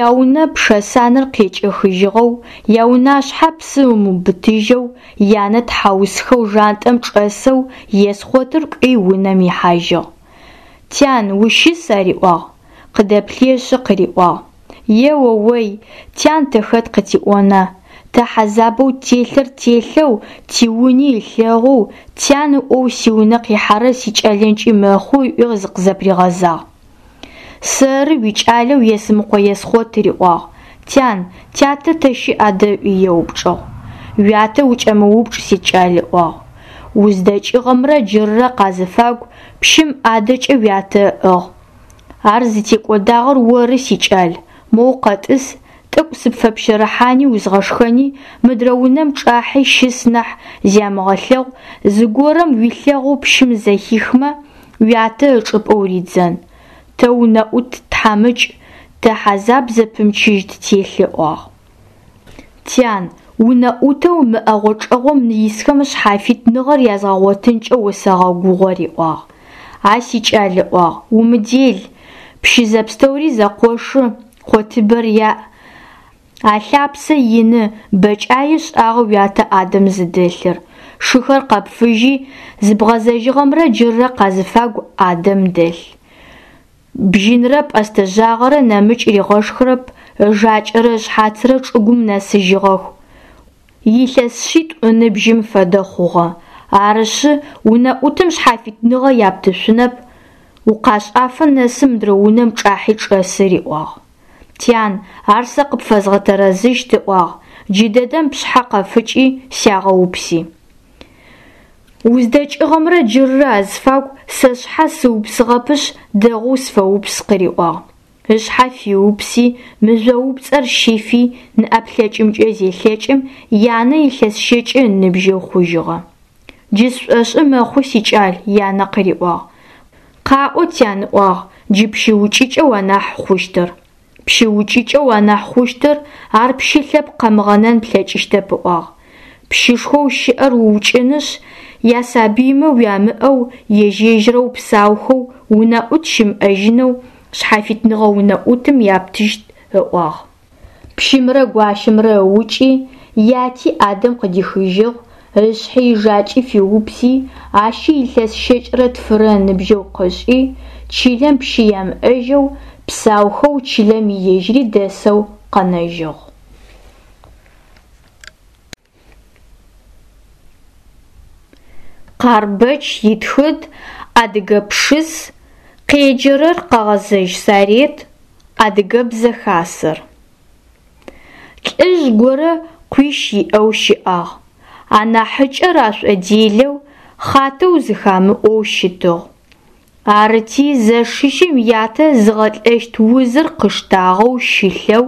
[SPEAKER 1] яунэ пшэсанэр къекӏэхыжьыгъэу, яунашъхьэ псы ымыубытыжьэу, янэ тхьаусхэу жантӏэм чӏэсэу Есхъотыр кӏуи унэм ихьажьыгъ. Тян, ущыс, ариӏуагъ. Къыдэплъыешъы къыриӏуагъ: Еоой, тян тэ хэт къытиӏона? Тэ хьазабэу телъыр телъэу, тиуни ылъэгъоу, тян ыӏоу сиунэ къихьэрэр сикӏэлэнкӏи мэхъу, ыӏуи зыкъызэпригъэзагъ. Сэры уикӏалэу Есмыкъо Есхъот, риӏуагъ. Тян, тятэ тэ щыӏ адэ ыӏуи еупчӏыгъ. Уятэ укӏэмыупчӏ, сикӏал, ыӏуагъ. Уздэкӏыгъэмрэ джыррэ къазыфагу пщым ӏадэкӏэ уятэ ыӏыгъ. Ар зытекӏодагъэр оры, сикӏал, моу къэтӏыс, тӏэкӏу сыпфэпщэрыхьани узгъэшхэни, мыдрэ унэм чӏахьи щыс нахь зямыгъэлъэгъу, зыгорэм уилъэгъоу пщым зэхихмэ, уятэ ычӏыпӏэ уридзэн. Тэ унэӏут тхьамыкӏ, тэ хьазаб зэпымчыжь ттелъ, ыӏуагъ. Тян, унэӏутэу мы ӏэгъо-чӏэгъом исхэм шъхьафитныгъэр язгъэгъотынкӏэ осэгъэгугъэ, риӏуагъ. А сикӏал, ыӏуагъ, умыдел, пщы зэпстэури зэкъошы, къотыбэр яӏ. Алъапсэ ины, бэкӏае шӏагъэ уятэ ӏадэм зыдэлъыр. Шыхэр къэпфыжьи, зыбгъэзэжьыгъэмрэ джыррэ къазыфагу ӏадэм дэлъ. Бжьынрэ пӏэстэ жъагъэрэ нэмыкӏ ригъэшхырэп, ыжакӏэрэ ышъхьацрэ чӏыгум нэсыжьыгъэх. Илъэс шъитӏу ыныбжьым фэдэ хъугъэ. Арышъы, унэӏутым шъхьафитныгъэ яптышъунэп, укъашӏафэ нэсы мыдрэ унэм чӏахьи чӏэсы, риӏуагъ. Тян, ар сэ къыпфэзгъэтэрэзыщт, ыӏуагъ, джыдэдэм пшъхьэ къэфыкӏи сягъэупси. Уздэкӏыгъэмрэ джыррэ азыфагу сэ сшъхьэ сыупсыгъэпышъ, дэгъоу сфэупс, къыриӏуагъ. Ышъхьэ фиупси, мыжъоупцӏэр щифи, ныӏэплъэкӏымкӏэ зелъэкӏым, янэ илъэс щэкӏы ыныбжьэу хъужьыгъэ. Джы сшӏошӏы мэхъу, сикӏал, янэ къыриӏуагъ. Къаӏо, тян, ыӏуагъ, джы пщы укӏыкӏэу анахь хъущтыр. Пщы укӏыкӏэу анахь хъущтыр, ар пщы лъэпкъ къэмыгъэнэн плъэкӏыщтэп, ыӏуагъ. Пщышхоу щыӏэр уукӏынышъ, ясабыймэ уямыӏэу, ежь-ежьырэу псаухэу, унэӏут щымыӏэжьынэу, шъхьафитныгъэ унэӏутым яптыщт, ыӏуагъ. Пщымрэ гуащэмрэ ыукӏи, яти ӏадэм къыдихыжьыгъ, ышъхьи ыжакӏи фиупси, ащи илъэс щэкӏрэ тфырэ ыныбжьэу къышӏи, чылэм пщы ямыӏэжьэу, псаухэу чылэм ежьыри дэсэу къэнэжьыгъ. Къарбэч итхыд, Адыгэ пшыс, къеджэрэр Къэгъэзэжь Сарет, Адыгэбзэ хасэр. Лӏыжъ горэ къуищ иӏэу щыӏагъ. Анахьыкӏэр ашӏоделэу, хъатэу зыхамыӏоу щытыгъ. Арыти зэшищым ятэ зыгъэлӏэщт узыр къыштагъэу щылъэу,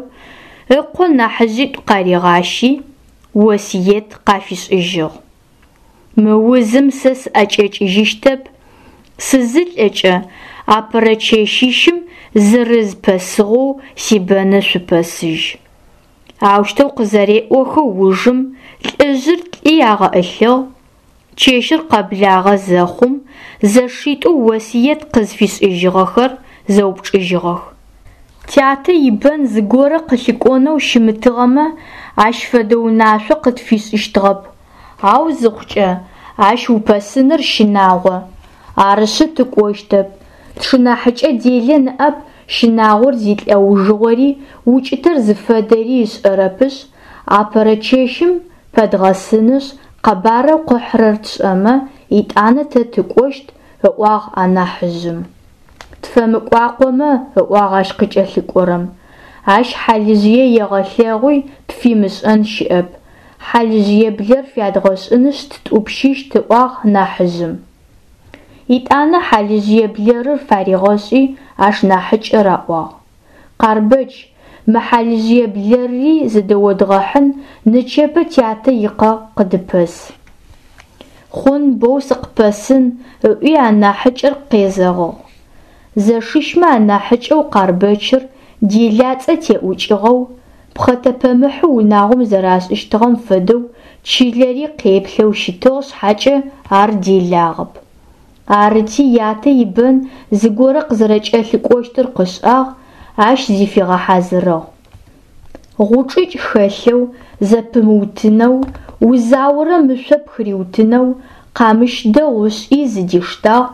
[SPEAKER 1] ыкъо нахьыжъитӏу къаригъащи, осыет къафишӏыжьыгъ. Мы узым сэ сыӏэкӏэкӏыжьыщтэп, сызылӏэкӏэ апэрэ чэщищым зырыз пэсыгъэу сибэны шъупэсыжь. Аущтэу къызэреӏохэ ужым лӏыжъыр лӏи агъэӏылъыгъ. Чэщыр къэблагъэ зэхъум, зэшитӏоу осыет къызфишӏыжьыгъэхэр зэупчӏыжьыгъэх. Тятэ ибэн зыгорэ къылъыкӏонэу щымытыгъэмэ, ащ фэдэ унашъо къытфишӏыщтыгъэп. Ау зыхъукӏэ, ащ упэсыныр щынагъо. Арышъы тыкӏощтэп. Тшынахьыкӏэ делэ ныӏэп щынагъор зилӏэужыгъори, укӏытэр зыфэдэри ышӏэрэпышъ, апэрэ чэщым пэдгъэсынышъ, къэбарэу къыхьырэр тшӏэмэ, етӏанэ тэ тыкӏощт, ыӏуагъ анахьыжъым. Тфэмыкӏуакъомэ, ыӏуагъ ащ къыкӏэлъыкӏорэм. Ащ хьалыжъые егъэлъэгъуи, пфимышӏэн щыӏэп. Хьалыжъые блэр фядгъэшӏынышъ ттӏупщыщт, ыӏуагъ нахьыжъым. Етӏанэ хьалыжъые блэрыр фаригъэшӏи, ащ нахьыкӏэ раӏуагъ. Къарбэч, мы хьалыжъые блэрри зыдэодгъэхьын, нычэпэ тятэ икъэ къыдыпэс. Хъун боу сыкъыпэсын, ыӏуи анахьыкӏэр къезэгъыгъ. Зэшищмэ анахьыкӏэу Къарбэчыр делацӏэ теӏукӏыгъэу, пхъэтэпэмыхьы унагъом зэрашӏыщтыгъэм фэдэу чылэри къеплъэу щытыгъ шъхьакӏэ ар делагъэп. Арыти ятэ ибэн зыгорэ къызэрэкӏэлъыкӏощтыр къышӏагъ, ащ зифигъэхьазырыгъ. Гъучӏыкӏ хэлъэу, зэпымыутынэу, узаорэм ышъо пхыриутынэу, къамыщ дэгъу ышӏи зыдиштагъ,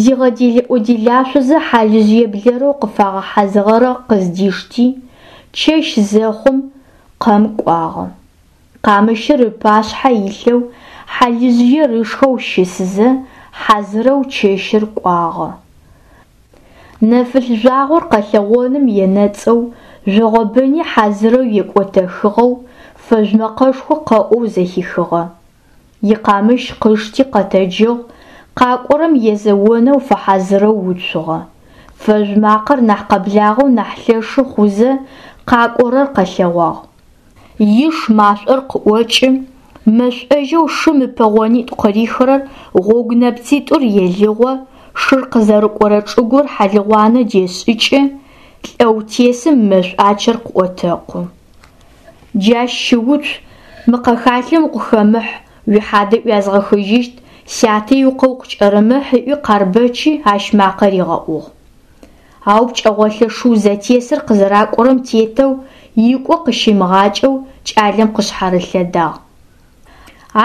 [SPEAKER 1] зигъэделэӏо-делашъозэ хьалыжъые блэрэу къыфагъэхьазырыгъэр къыздишти, чэщ зэхъум къэм кӏуагъэ. Къамыщыр ыпашъхьэ илъэу, хьалыжъыер ышхэу щысызэ, хьазырэу чэщыр кӏуагъэ. Нэфылъ жъуагъор къэлъэгъоным енэцӏэу, жъогъобыни хьазырэу екӏотэхыгъэу, фэжъу мэкъэшхо къэӏоу зэхихыгъэ. Икъамыщ къышти къэтэджыгъ, къакӏорэм езэонэу фэхьазырэу уцугъэ. Фэжъу макъэр нахь къэблагъэу нахь лъэшы хъузэ, къакӏорэр къэлъэгъуагъ. Иш машӏор къыӏокӏы, мэшӏожьэу шым ыпэгъонитӏу къырихырэр гъогу нэпцитӏур елыгъо, шыр къызэрыкӏорэ чӏыгур хьалыгъуанэ дешӏыкӏы, лӏэу тесым мэшӏуачэр къыӏотэкъу. Джащ щыуцу, мы къэхалъэм укъыхэмыхь, уихьадэ ӏуязгъэхыжьыщт, сятэ икъэ укъыкӏэрымыхь ыӏуи Къарбэчи ащ макъэ ригъэӏугъ. Ау пкӏэгъолъэ шыу зэтесыр къызэракӏорэм тетэу, икӏо къыщимыгъакӏэу кӏалэм къышъхьарылъэдагъ.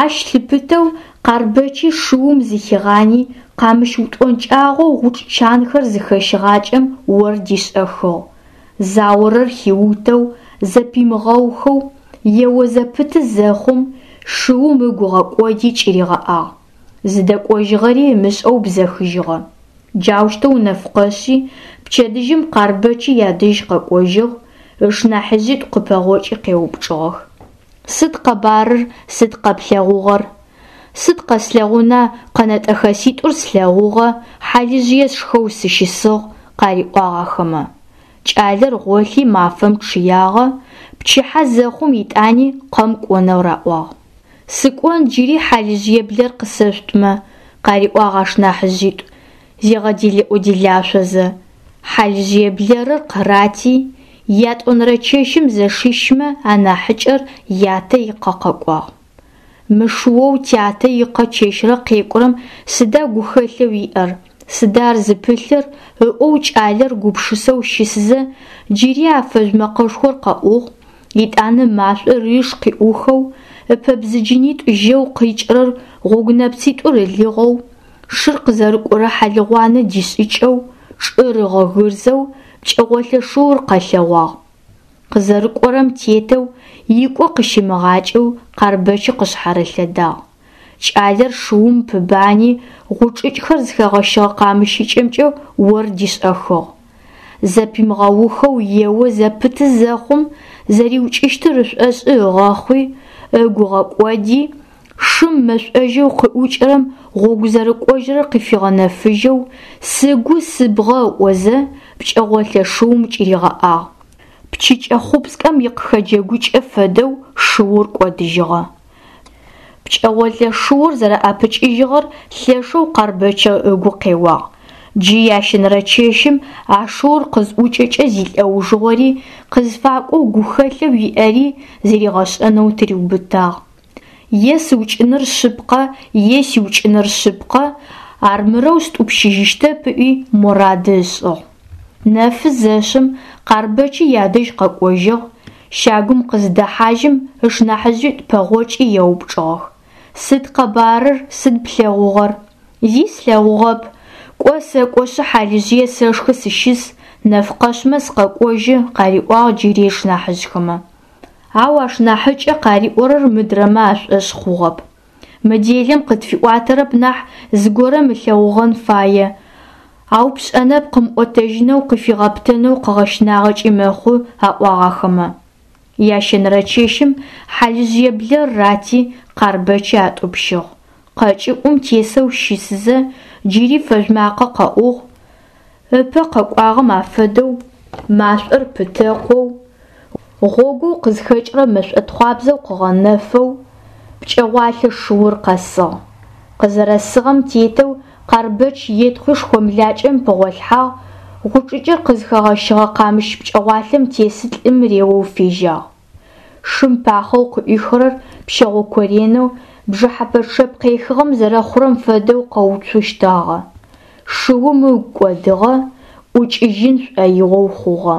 [SPEAKER 1] Ащ лъыпытэу Къарбэчи шыум зыхигъани, къамыщ утӏонкӏагъэу гъучӏ чанхэр зыхэщыгъакӏэм ор дишӏэхыгъ. Заорэр хиутэу, зэпимыгъэухэу, ео зэпыты зэхъум, шыум ыгу ыгъэкӏоди кӏыригъэӏагъ. Зыдэкӏожьыгъэри ымышӏэу бзэхыжьыгъэ. Джаущтэу нэф къэшъи, пчэдыжьым Къарбэчи ядэжь къэкӏожьыгъ, ышнахьыжъитӏу къыпэгъокӏи къеупчӏыгъэх. Сыд къэбарыр, сыд къэплъэгъугъэр? Сыд къэслъэгъуна, къэнэтӏэхэситӏур слъэгъугъэ, хьалыжъые сшхэу сыщысыгъ, къариӏуагъ ахэмэ. Кӏалэр гъолъи мафэм чъыягъэ, пчыхьэ зэхъум итӏани къэм кӏонэу раӏуагъ. Сыкӏон джыри хьалыжъые блэр къысэшъутмэ, къариӏуагъ ашнахьыжъитӏу, зигъэделэӏо-делашъозэ. Хьалыжъые блэрыр къырати, ятӏонэрэ чэщым зэшищмэ анахьыкӏэр ятэ икъэ къэкӏуагъ. Мы шыоу тятэ икъэ чэщрэ къекӏурэм сыда гухэлъэу иӏэр, сыда ар зыпылъыр ыӏоу кӏалэр гупшысэу щысызэ, джыри а фэжъу мэкъэшхор къэӏугъ, итӏанэ машӏор иш къиӏухэу, ыпэбзыджынитӏу жьэу къикӏырэр гъогу нэпцитӏур ылыгъэу, шыр къызэрыкӏорэ хьалыгъуанэ дишӏыкӏэу, чӏыр ыгъэгырзэу, пкӏэгъолъэ шыур къэлъэгъуагъ. Къызэрыкӏорэм тетэу, икӏо къыщимыгъакӏэу Къарбэчи къышъхьарылъэдагъ. Кӏалэр шыум пыбани, гъучӏыкӏхэр зыхэгъэщыгъэ къамыщыкӏэмкӏэ ор дишӏэхыгъ. Зэпимыгъэухэу ео зэпыты зэхъум, зэриукӏыщтыр ышӏошӏы ыгъэхъуи, ыгу ыгъэкӏоди, шым мэшӏожьэу къыӏукӏырэм гъогу зэрыкӏожьырэр къыфигъэнэфыжьэу, сыгу сыбгъэ ыӏозэ, пкӏэгъолъэ шыум кӏыригъэӏагъ. Пчыкӏэ хъупскӏэм икъыхэджэгукӏэ фэдэу шыур кӏодыжьыгъэ. Пкӏэгъолъэ шыур зэрэӏэпыкӏыжьыгъэр лъэшэу Къарбэчы ыгу къеуагъ. Джы ящэнэрэ чэщым а шыур къызӏукӏэкӏэ зилӏэужыгъори, къызфакӏоу гухэлъэу иӏэри зэригъэшӏэнэу тыриубытагъ. Е сыукӏыныр шъыпкъэ, е сиукӏыныр шъыпкъэ, армырэу стӏупщыжьыщтэп ыӏуи морады ышӏыгъ. Нэфы зэшъым Къарбэчи ядэжь къэкӏожьыгъ, щагум къыздэхьажьым ышнахьыжъитӏу пэгъокӏи еупчӏыгъэх. Сыд къэбарыр, сыд плъэгъугъэр? Зи слъэгъугъэп. Кӏо сэкӏошъы хьалыжъые сэшхы сыщыс, нэф къэшъмэ сыкъэкӏожьы, къариӏуагъ джыри ышнахьыжъхэмэ. Ау ашнахьыкӏэ къариӏорэр мыдрэмэ ашӏошъ хъугъэп. Мы делэм къытфиӏуатэрэп нахь зыгорэм ылъэгъугъэн фае, ау пшӏэнэп къымыӏотэжьынэу къыфигъэпытэнэу къыгъэщынагъэкӏи мэхъу, аӏуагъ ахэмэ. Ящэнэрэ чэщым хьалыжъые блэр рати, Къарбэчи атӏупщыгъ. Къэкӏыӏум тесэу щысызэ, джыри фэжъу макъэ къэӏугъ, ыпэ къэкӏуагъэм афэдэу, машӏор пытэкъоу, гъогоу къызхэкӏырэ мэшӏотхъуабзэу къыгъэнэфэу, пкӏэгъуалъэ шыур къэсыгъ. Къызэрэсыгъэм тетэу Къарбэч етхъуи шхомлакӏэм пыгъолъхьагъ, гъучӏыкӏыр къызхэгъэщыгъэ къамыщ пкӏэгъуалъэм тесы лӏым реоу фежьагъ. Шым пахъэу къыӏуихырэр пщэгъо коренэу, бжыхьэпэ чъэп къехыгъэм зэрэхъурэм фэдэу къэуцущтагъэ. Шыум ыгу кӏодыгъэ, ӏукӏыжьын шӏоигъоу хъугъэ.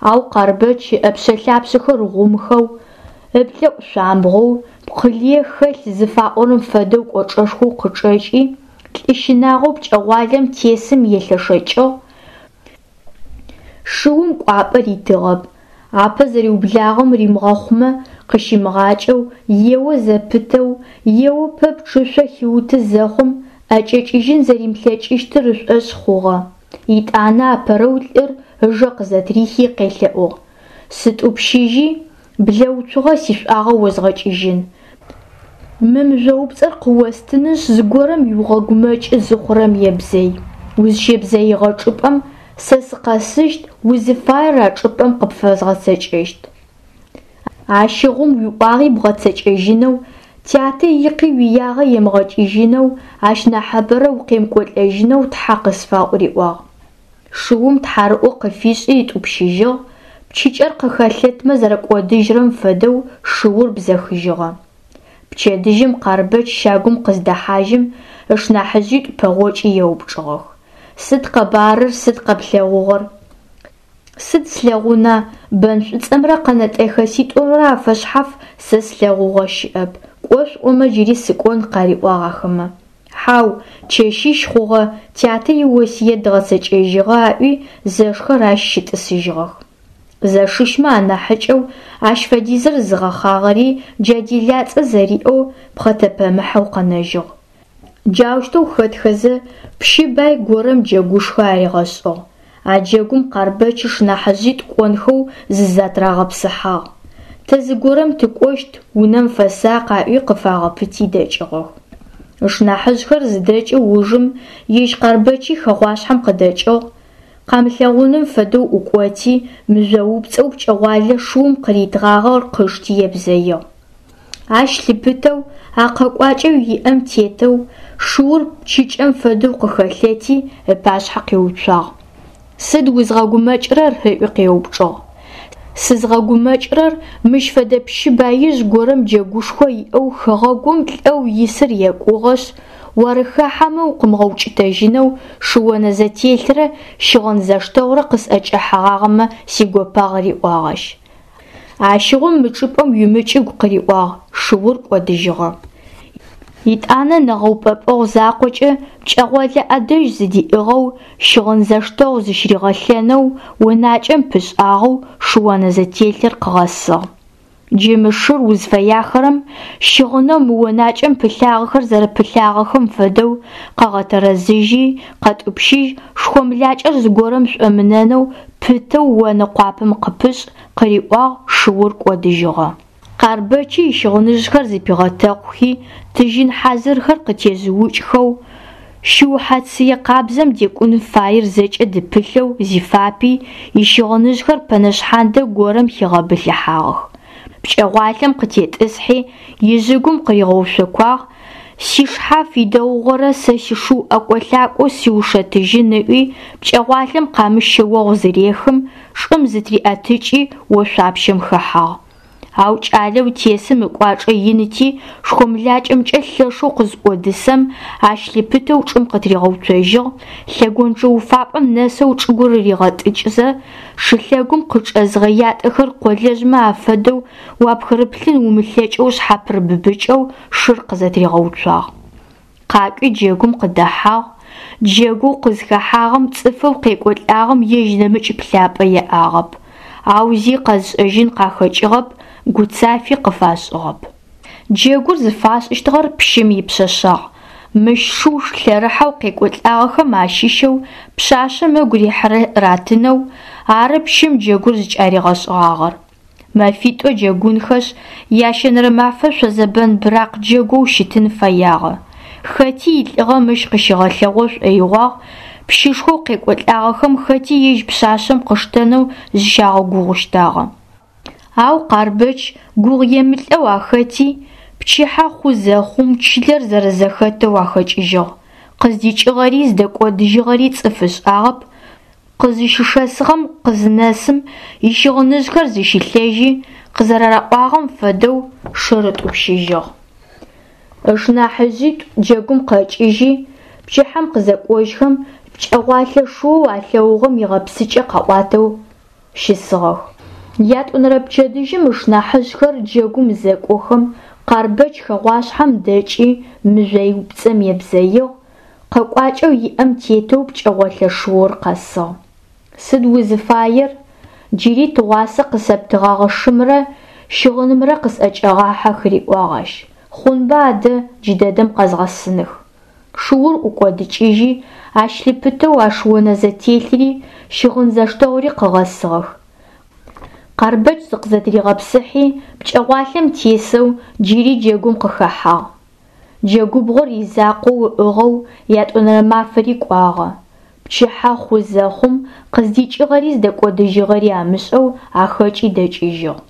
[SPEAKER 1] Ау Къарбэч ыӏэпшъэ-лъапшъэхэр гъумхэу, ыплӏэӏу шъуамбгъоу, пкъылые хэлъ зыфаӏорэм фэдэу кӏочӏэшхоу къычӏэкӏи, лӏы щынагъоу пкӏэгъуалэм тесым елъэшэкӏыгъ, шыум кӏуапӏэ ритыгъэп, апэ зэриублагъэм римыгъэхъумэ къыщимыгъакӏэу, ео зэпытэу, ео пэпчъ ышъо хиуты зэхъум, ӏэкӏэкӏыжьын зэримылъэкӏыщтыр ышӏошъ хъугъэ. Итӏанэ апэрэу лӏыр ыжэ къызэтрихи къелъэӏугъ: «Сытӏупщыжьи, блэуцугъэ сишӏуагъэ озгъэкӏыжьын. Мы мыжъоупцӏэр къыостынышъ, зыгорэм уигъэгумэкӏы зыхъурэм ебзэй. Узщебзэигъэ чӏыпӏэм Сэ сыкъэсыщт, узыфаер а чӏыпӏэм къыпфэзгъэцэкӏэщт. Ащыгъум уиӏуагъи бгъэцэкӏэжьынэу, тятэ икъи уиягъэ емыгъэкӏыжьынэу, ащ нахьыбэрэ укъемыкӏолӏэжьынэу тхьэ къысфаӏу, риӏуагъ. Шыум тхьарыӏо къыфишӏи ытӏупщыжьыгъ, пчыкӏэр къыхэлъэтмэ зэрэкӏодыжьырэм фэдэу шыур бзэхыжьыгъэ. Пчэдыжьым Къарбэч щагум къыздэхьажьым, ышнахьыжъитӏу пэгъокӏи еупчӏыгъэх. Сыд къэбарыр, сыд къэплъэгъугъэр? Сыд слъэгъуна, бэн шӏуцӏэмрэ къэнэтӏэхэситӏумрэ афэшъхьаф сэ слъэгъугъэ щыӏэп, кӏо шъуӏомэ джыри сыкӏон, къариӏуагъ ахэмэ. Хьау, чэщищ хъугъэ, тятэ иосыет дгъэцэкӏэжьыгъэ аӏуи, зэшхэр ащ щытӏысыжьыгъэх. Зэшищмэ анахьыкӏэу ащ фэдизыр зыгъэхъагъэри джа делацӏэ зэриӏэу пхъэтэпэмыхьэу къэнэжьыгъ. Джаущтэу хэтхэзэ, пщы бай горэм джэгушхо аригъэшӏыгъ. А джэгум Къарбэч ышнахьыжъитӏу кӏонхэу зызэтырагъэпсыхьагъ. Тэ зыгорэм тыкӏощт, унэм фэсакъ аӏуи къыфагъэпыти дэкӏыгъэх. Ышнахьыжъхэр зыдэкӏы ужым ежь Къарбэчи хэгъуашъхьэм къыдэкӏыгъ, къамылъэгъуным фэдэу ӏукӏоти, мыжъоупцӏэу пкӏэгъуалэ шыум къыритыгъагъэр къышти ебзэигъ. Ащ лъыпытэу, а къэкӏуакӏэу иӏэм тетэу, шыур пчыкӏэм фэдэу къыхэлъэти, ыпашъхьэ къиуцуагъ. Сыд узгъэгумэкӏырэр? Ыӏуи къеупчӏыгъ. Сызгъэгумэкӏырэр мыщ фэдэ пщы баижъ горэм джэгушхо иӏэу хэгъэгум лӏэу исыр екӏугъэшъ, уарыхахьэмэ укъымыгъэукӏытэжьынэу шыонэзэтелърэ щыгъын зэштэгъурэ къысӏэкӏэхьэгъагъэмэ сигопагъ, риӏуагъ ащ. Ащыгъум мы чӏыпӏэм уимыкӏыгу къыриӏуагъ, шыур кӏодыжьыгъэ. Итӏанэ нэгъэупӏэпӏэгъу закъокӏэ пкӏэгъолэ ӏэдэжь зыдиӏыгъэу, щыгъын зэштэгъу зыщыригъэлъэнэу, онакӏэм пышӏагъэу шыонэзэтелъыр къыгъэсыгъ. Джы мы шыр узфэяхэрэм щыгъынэу мы онакӏэм пылъагъэхэр зэрэпылъагъэхэм фэдэу къэгъэтэрэзыжьи, къэтӏупщыжь, шхомлакӏэр зыгорэм шӏомынэнэу пытэу онэ къуапэм къыпышӏ, къыриӏуагъ, шыур кӏодыжьыгъэ. Къарбэчи ищыгъыныжъхэр зыпигъэтэкъухи, тыжьын хьазырхэр къытежъыукӏхэу, шыухьэ цые къабзэм декӏун фаер зэкӏэ дыпылъэу зифапи, ищыгъыныжъхэр пэнэшъхьандэ горэм хигъэбылъыхьагъэх. Пкӏэгъуалъэм къытетӏысхьи, ижъыгум къыригъэушъокуагъ, сишхьаф идэгъугъэрэ сэ сишыу ӏэкӏо-лъакӏоу сиушэтыжьын ыӏуи, пкӏэгъуалъэм къамыщ шъэогъу зырехым, чӏым зытыриӏэтыкӏи ошъуапщэм хэхьагъ. Ау кӏалэу тесым ыкӏуачӏэ иныти, шхомлакӏэмкӏэ лъэшэу къызӏодысэм, ащ лъыпытэу чӏым къытыригъэуцожьыгъ, лъэгонджэ уфапӏэм нэсэу чӏыгур ригъэтӏыкӏзэ, шылъэгум къычӏэзыгъэ ятӏэхэр къолэжъмэ афэдэу уапхырыплъын умылъэкӏэу шъхьапырыбыбыкӏэу шыр къызэтыригъэуцуагъ. Къакӏуи джэгум къыдэхьагъ, джэгоу къызхэхьагъэм цӏыфэу къекӏолӏагъэм ежь нэмыкӏ плъапӏэ иӏагъэп, ау зи къэзышӏэжьын къахэкӏыгъэп, гуцафи къыфашӏыгъэп. Джэгур зыфашӏыщтыгъэр пщым ипшъэшъагъ. Мыщ шыу лъэрыхьэу къекӏолӏагъэхэм ащыщэу пшъашъэм ыгу рихьырэр ратынэу, ары пщым джэгур зыкӏаригъэшӏыгъагъэр. Мэфитӏо джэгунхэшъ, ящэнэрэ мафэ шъозэбэн быракъ джэгоу щытын фэягъэ. Хэти илӏыгъэ мыщ къыщигъэлъэгъо шӏоигъуагъ, пщышхоу къекӏолӏагъэхэм хэти ежь пшъашъэм къыштэнэу зыщагъэгугъущтагъэ. Ау Къарбэч гугъу емылӏэу ахэти, пчыхьэ хъу зэхъум чылэр зэрэзэхэтэу ахэкӏыжьыгъ. Къыздикӏыгъэри зыдэкӏодыжьыгъэри цӏыф ышӏагъэп, къызыщышэсыгъэм къызынэсым ищыгъыныжъхэр зыщилъэжьи, къызэрараӏуагъэм фэдэу шыр ытӏупщыжьыгъ. Ышнахьыжъитӏу джэгум къэкӏыжьи, пчыхьэм къызэкӏожьхэм пкӏэгъуалъэ шыоу алъэгъугъэм игъэпсыкӏэ къаӏуатэу щысыгъэх. Ятӏонэрэ пчэдыжьым ышнахьыжъхэр джэгум зэкӏохэм, Къарбэч хэгъуашъхьэм дэкӏи мыжъоупцӏэм ебзэигъ, къэкӏуакӏэу иӏэм тетэу пкӏэгъолэ шыур къэсыгъ. Сыд узыфаер? Джыри тыгъуасэ къысэптыгъэгъэ шымрэ щыгъынымрэ къысӏэкӏэгъахьэх, риӏуагъ ащ. Хъунба адэ джыдэдэм къэзгъэсыных. Шыур ӏукӏодыкӏыжьи, ащ лъыпытэу а шыонэзэтелъри щыгъын зэштэгъури къыгъэсыгъэх. Къарбэч зыкъызэтыригъэпсыхьи, пкӏэгъуалъэм тесэу джыри джэгум къыхэхьагъ. Джэгубгъор изакъоу ыӏыгъэу ятӏонэрэ мафэри кӏуагъэ. Пчыхьэ хъу зэхъум, къыздикӏыгъэри зыдэкӏодыжьыгъэри амышӏэу ахэкӏи дэкӏыжьыгъ.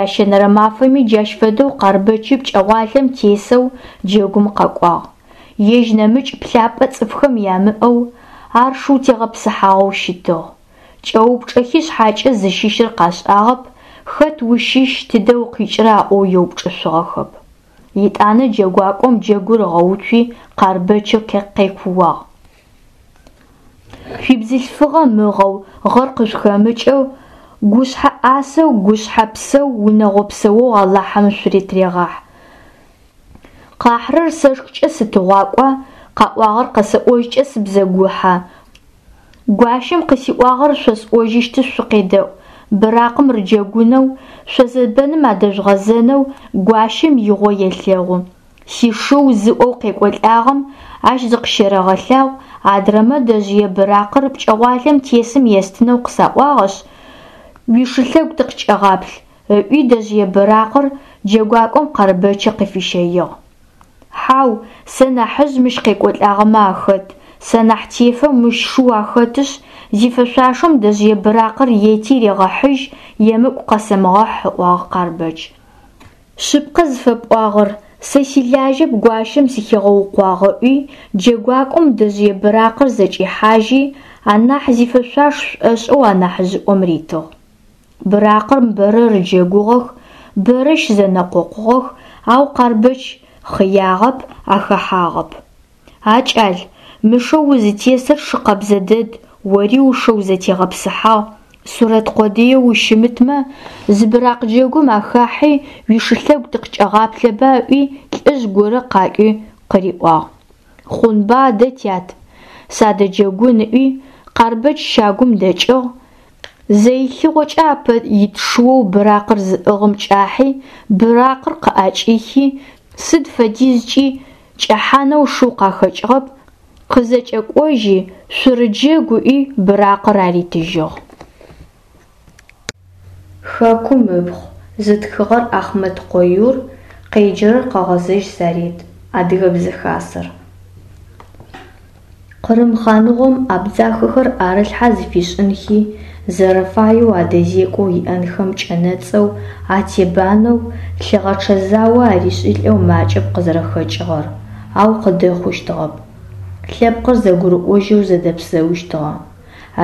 [SPEAKER 1] Ящэнэрэ мафэми джащ фэдэу Къарбэчы пкӏэгъуалэм тесэу джэгум къэкӏуагъ. Ежь нэмыкӏ плъапӏэ цӏыфхэм ямыӏэу, ар шыу тегъэпсыхьагъэу щытыгъ. Кӏэупчӏэхи шъхьакӏэ зыщыщыр къашӏагъэп, хэт ущыщ, тыдэ укъикӏыра ыӏоу еупчӏышъугъэхэп. Етӏанэ джэгуакӏом джэгур ыгъэуцуи Къарбэчы къекууагъ. Шъуибзылъфыгъэ мыгъэу, гъэр къышъухэмыкӏэу, гушъхьэ ӏасэу, гушъхьэ псэу, унэгъо псэоу Алахьым шъутырегъахь. Къахьрэр сэшхыкӏэ сытыгъуакӏуа, къаӏуагъэр къэсэӏожькӏэ сыбзэгухьа? Гуащэм къысиӏуагъэр шъосӏожьыщтышъ шъукъедэӏу: быракъым рыджэгунэу, шъозэбэным адэжъугъэзэнэу гуащэм игъо елъэгъу. Сишыу зыӏоу къекӏолӏагъэм ащ зыкъыщерэгъэлъагъу, адрэмэ дэжъые быракъыр пкӏэгъуалэм тесым естынэу къысаӏуагъэшъ, уишылъэгу тыкъыкӏэгъаплъ, ыӏуи дэжъые быракъыр джэгуакӏом Къарбэчы къыфищэигъ. Хьау, сэ нахьыжъ мыщ къекӏолӏагъэмэ ахэт, сэ нахь тефэ мыщ шыу ахэтышъ, зифэшъуашэм дэжъые быракъыр ети регъэхьыжь, емыкӏу къэсэмыгъэхь, ыӏуагъ Къарбэч. Шъыпкъэ зыфэпӏуагъэр, сэ силажьэп гуащэм сыхигъэукъуагъ, ыӏуи, джэгуакӏом дэжъые быракъыр зэкӏихьажьи, анахь зифэшъуаш шӏошӏэу анахьыжъыӏом ритыгъ. Быракъым бэрэ рыджэгугъэх, бэрэ щызэнэкъокъугъэх, ау Къарбэч хъыягъэп, ахэхьагъэп. А кӏал, мы шэу узытесыр шы къэбзэ дэд, ори ушэу зэтегъэпсыхьагъ, сурэт къодыеу ущымытмэ, зы быракъ джэгум ахахьи уишылъэгу тыкъыкӏэгъаплъэба ыӏуи лӏыжъ горэ къакӏуи къыриӏуагъ. Хъунба адэ, тят, садэджэгун ыӏуи, Къарбэч щагум дэкӏыгъ, зэилъыгъокӏэ апэ ит шыоу быракъыр зыӏыгъым кӏахьи, быракъыр къыӏэкӏихи, сыд фэдизкӏи кӏэхьанэу шыу къахэкӏыгъэп, къызэкӏэкӏожьи, шъурыджэгу ыӏуи быракъыр аритыжьыгъ. Хэкум ыпхъу зытхыгъэр Ахъмэткъо Юр, къеджэрэр Къэгъэзэжь Заret, Адыгэ Хасэр. Къырым хъаныгъом абдзахэхэр ӏэрылъхьэ зыфишӏынхи, зэрэфаеу адэзекӏоу иӏэнхэм кӏэнэцӏэу, атебанэу, лъыгъэчъэ зао аришӏылӏэу макӏэп къызэрэхэкӏыгъэр, ау къыдэхъущтыгъэп. Лъэпкъыр зэгурыӏожьэу зэдэпсэущтыгъэ.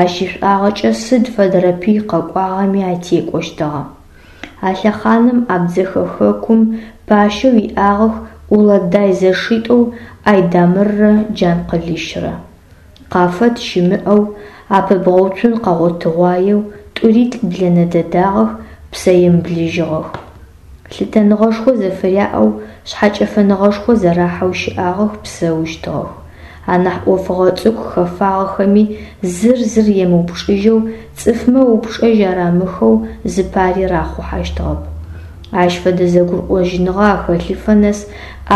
[SPEAKER 1] Ащ ишӏуагъэкӏэ сыд фэдэрэ пый къэкӏуагъэми атекӏощтыгъэ. А лъэхъаным Абдзэхэ хэкум пащэу иӏагъэх Уладай зэшитӏоу Айдамыррэ Джанкъылыщрэ. Къафэт щымыӏэу, апэбгъэуцун къэгъотыгъуаеу тӏури лӏыблэнэ дэдагъэх, псэемыблэжьыгъэх. Лъытэныгъэшхо зэфыряӏэу, шъхьэкӏэфэныгъэшхо зэрахьэу щыӏагъэх, псэущтыгъэх. Анахь ӏофыгъо цӏыкӏу хэфагъэхэми зыр зыр емыупчӏыжьэу, цӏыфмэ упчӏэжь арамыхэу зыпари рахъухьэщтыгъэп. Ащ фэдэ зэгурыӏожьыныгъэ ахэлъыфэ нэс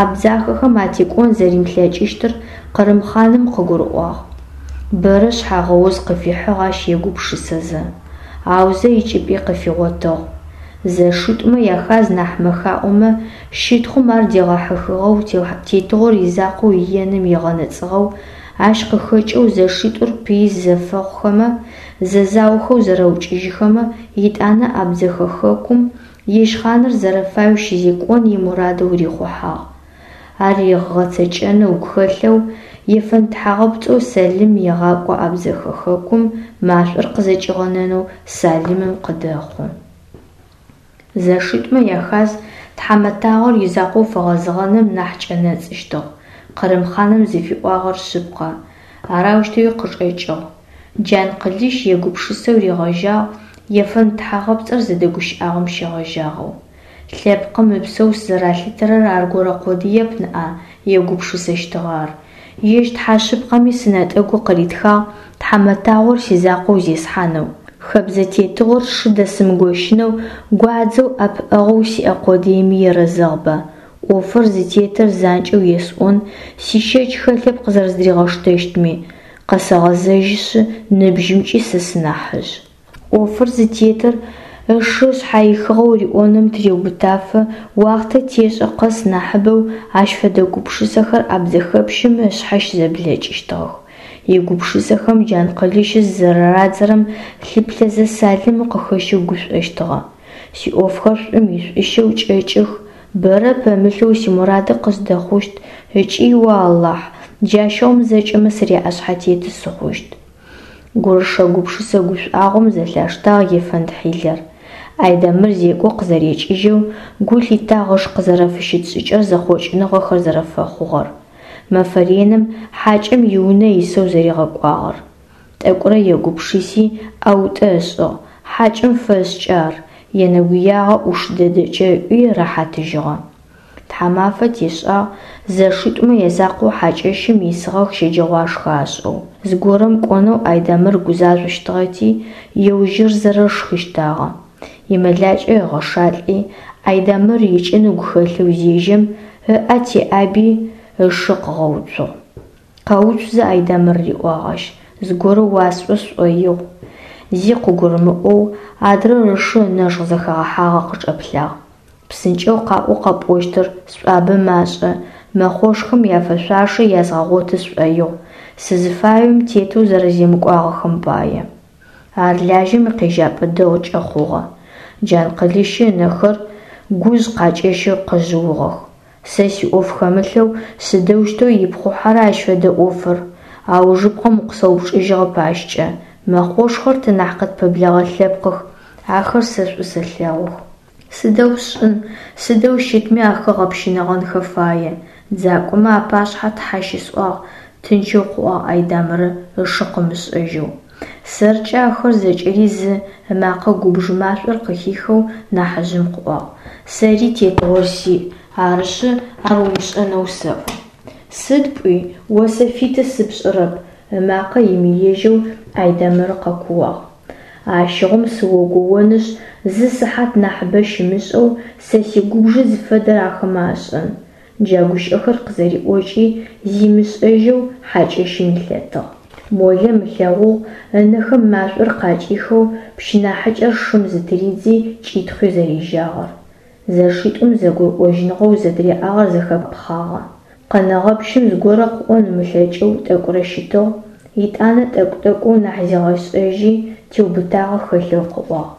[SPEAKER 1] абдзахэхэм атекӏон зэримылъэкӏыщтыр Къырым хъаным къыгурыӏуагъ. Бэрэ шъхьагъэуз къыфихьыгъ ащ егупшысэзэ. Аузэ икӏыпӏи къыфигъотыгъ. Зэшитӏумэ яхаз нахь мэхаӏомэ, щытхъум ар дегъэхьыхыгъэу тетыгъор изакъоу иеным егъэнэцӏыгъэу, ащ къыхэкӏэу зэшитӏур пыи зэфэхъухэмэ, зэзаохэу зэрэукӏыжьыхэмэ, етӏанэ Абдзэхэ хэкум ежь хъаныр зэрэфаеу щызекӏон имурадэу рихъухьагъ. Ар ыгъэцэкӏэнэу ыгу хэлъэу, ефэнд тхьагъэпцӏэу Сэлым егъакӏо Абдзэхэ хэкум машӏор къызэкӏигъэнэнэу Салымым къыдэхъу. Зэшитӏумэ яхаз тхьамэтагъор изакъоу фэгъэзэгъэным нахь кӏэнэцӏыщтыгъ. Къырым хъаным зыфиӏуагъэр шъыпкъэ, арэущтэуи къычӏэкӏыгъ. Джанкъылыщ егупшысэу ригъэжьагъ ефэнд тхьагъэпцӏыр зыдэгущыӏагъэм щегъэжьагъэу. Лъэпкъым ыпсэу сызэралъытэрэр аргорэ къодыеп ныӏа, егупшысэщтыгъэ ар. Ежь Тхьэ шъыпкъэми сынэтӏэгу къыритхагъ тхьамэтагъор сизакъоу зесхьанэу, хэбзэ тетыгъор сшы дэсымыгощынэу гуадзэу ӏэпыӏэгъоу сиӏэ къодыеми ерэзэгъба. Ӏофыр зытетыр занкӏэу есӏон, сищэч хэлъэп къызэрэздыригъэштэщтми, къэсэгъэзэжьышъ, ныбжьымкӏи сэ сынахьыжъ. Ӏофыр зытетыр ышы шъхьаихыгъэу риӏоным тыреубытафэ уахътэ тешӏэ къэс нахьыбэу ащ фэдэ гупшысэхэр абдзэхэпщым ышъхьэ щызэблэкӏыщтыгъэх. Игупшысэхэм Джанкъылыщы зызэрэрадзэрэм лъыплъэзэ, Салымэ къыхэщэу гушӀощтыгъэ. СиӀофхэр шӀум ишӀущэу кӀэкӀых, бэрэ пэмылъэу симурады къыздэхъущт ыкӀи, о Алахь, джащыгъум зэкӀэмэ сыряӀэшъхьэтеты сыхъущт. Гурышэ-гупшысэ гушӀуагъом зэлъаштагъ ефэнд хьилэр. Айдэмыр зекӀо къызэрекӀыжьэу гу лъитагъ ыш къызэрэфыщыт шӀыкӀэр зэхъокӀыныгъэхэр зэрэфэхъугъэр. Мэфэ реным хьакӀэм иунэ исэу зэригъэкӀуагъэр. ТӀэкӀурэ егупшыси, ӀэутӀэ ышӀыгъ, хьакӀэм фэшӀкӀэ ар, енэгуягъо Ӏуш дэдэкӀэ ыӀуи рэхьатыжьыгъэ. Тхьамафэ тешӀагъ, зэшитӀумэ язакъоу хьакӀэщым исыгъэх щэджэгъуашхэ ашӀэу. Зыгорэм кӀонэу Айдэмыр гузажъощтыгъэти, еужьырзэрэ шхыщтагъэ. ИмэлакӀэ ыгъэшалӀи, Айдэмыр икӀын ыгу хэлъэу зежьэм, ыӀэ теӀаби, ышы къыгъэуцугъ. «Къэуцу зэ, Айдэмыр, – риӀуагъ ащ, – зыгорэ уасӀо сшӀоигъу». Зи къыгурымыӀоу, адрэр ышы ынэжгъ зэхэгъэхьагъэ къычӀэплъагъ. «ПсынкӀэу къаӀо къэпӀощтыр, сшӀуабэ машӀэ, мэхъошхэм яфэшъуашэ язгъэгъоты сшӀоигъу, сызыфаем тетэу зэрэземыкӀуагъэхэм пае». Ар лажьэм икъежьапӀэ дэгъукӀэ хъугъэ. Джанкъылыщы ынэхэр гужъ къакӀэщэу къэжъыугъэх. Сэ сиӀоф хэмылъэу сыдэущтэу ипхъухьэра ащ фэдэ Ӏофыр? Аужыпкъэм укъысэупчӀыжьыгъэп ащкӀэ. Мэхъошхэр тэ нахь къытпэблэгъэ лъэпкъых, ахэр сэ шӀу сэлъэгъух. Сыдэу сшӀын, сыдэу щытми ахэр гъэпщынэгъэнхэ фае. ДзакӀомэ апашъхьэ тхьэ щысӀуагъ, тынчэу къыӀуагъ Айдамырэ ышы къымышӀэжьэу. СэркӀэ ахэр зэкӀэри зы, ымакъэ губж машӀор къыхихэу нахьыжъым къыӀуагъ. Сэри тетыгъор сиӀ, арышъы ар умышӀэнэу сэӀо. Сыд пӀуи? О сэ фиты сыпшӀырэп! ымакъэ имыежьэу Айдэмыр къэкууагъ. Ащыгъум сыогоонышъ, зы сыхьат нахьыбэ щымышӀэу сэ сигубжы зыфэдэр ахэмэ ашӀэн! Джа гущыӀэхэр къызэриӀокӀи, зимышӀэжьэу хьакӀэщым илъэтыгъ. Молэм ылъэгъугъ ынэхэм машӀор къакӀихэу пщы нахьыкӀэр шым зытыридзи кӀитхъуи зэрежьагъэр. ЗэшитӀум зэгурыӀожьыныгъэу зэдыряӀагъэр зэхэпхъагъэ. Къэнэгъэ пщым зыгорэ къыӀон ымылъэкӀэу тӀэкӀурэ щытыгъ, етӀанэ тӀэкӀу-тӀэкӀоу нахь зигъэшӀэжьи, теубытагъэ хэлъэу къыӀуагъ: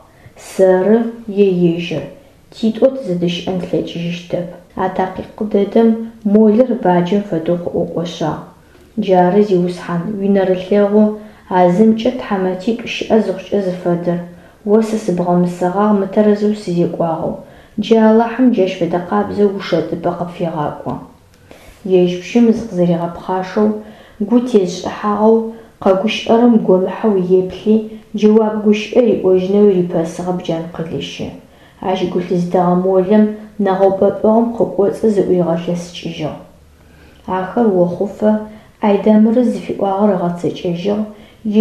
[SPEAKER 1] «Сэры е ежьыр, титӀо тызэдэщыӀэн тлъэкӀыжьыщтэп». А такъикъ дэдэм молэр баджэм фэдэу къыӀукӀошъагъ. Джары, зиусхьан, уинэрылъэгъу, а зымкӀэ тхьамэтитӀу щыӀэ зыхъукӀэ зыфэдэр. О сэ сыбгъэмысэгъагъ мытэрэзэу сызекӀуагъэу, джы Алахьым джащ фэдэкъабзэу ушэтыпӀэ къыпфегъакӀо. Ежь пщым зыкъызэригъэпхъашэу, гу тезышӀыхьагъэу, къэгущыӀэрэм гомыхьэу еплъи, джэуап гущыӀэ риӀожьынэуи рипэсыгъэп Джанкъылыщы. Ащ гу лъызытэгъэ молэм нэгъэупӀэпӀэгъум къыкӀоцӀы зыӀуригъэлъэсыкӀыжьыгъ. Ахэр охъуфэ Айдэмыры зыфиӀуагъэр ыгъэцэкӀэжьыгъ,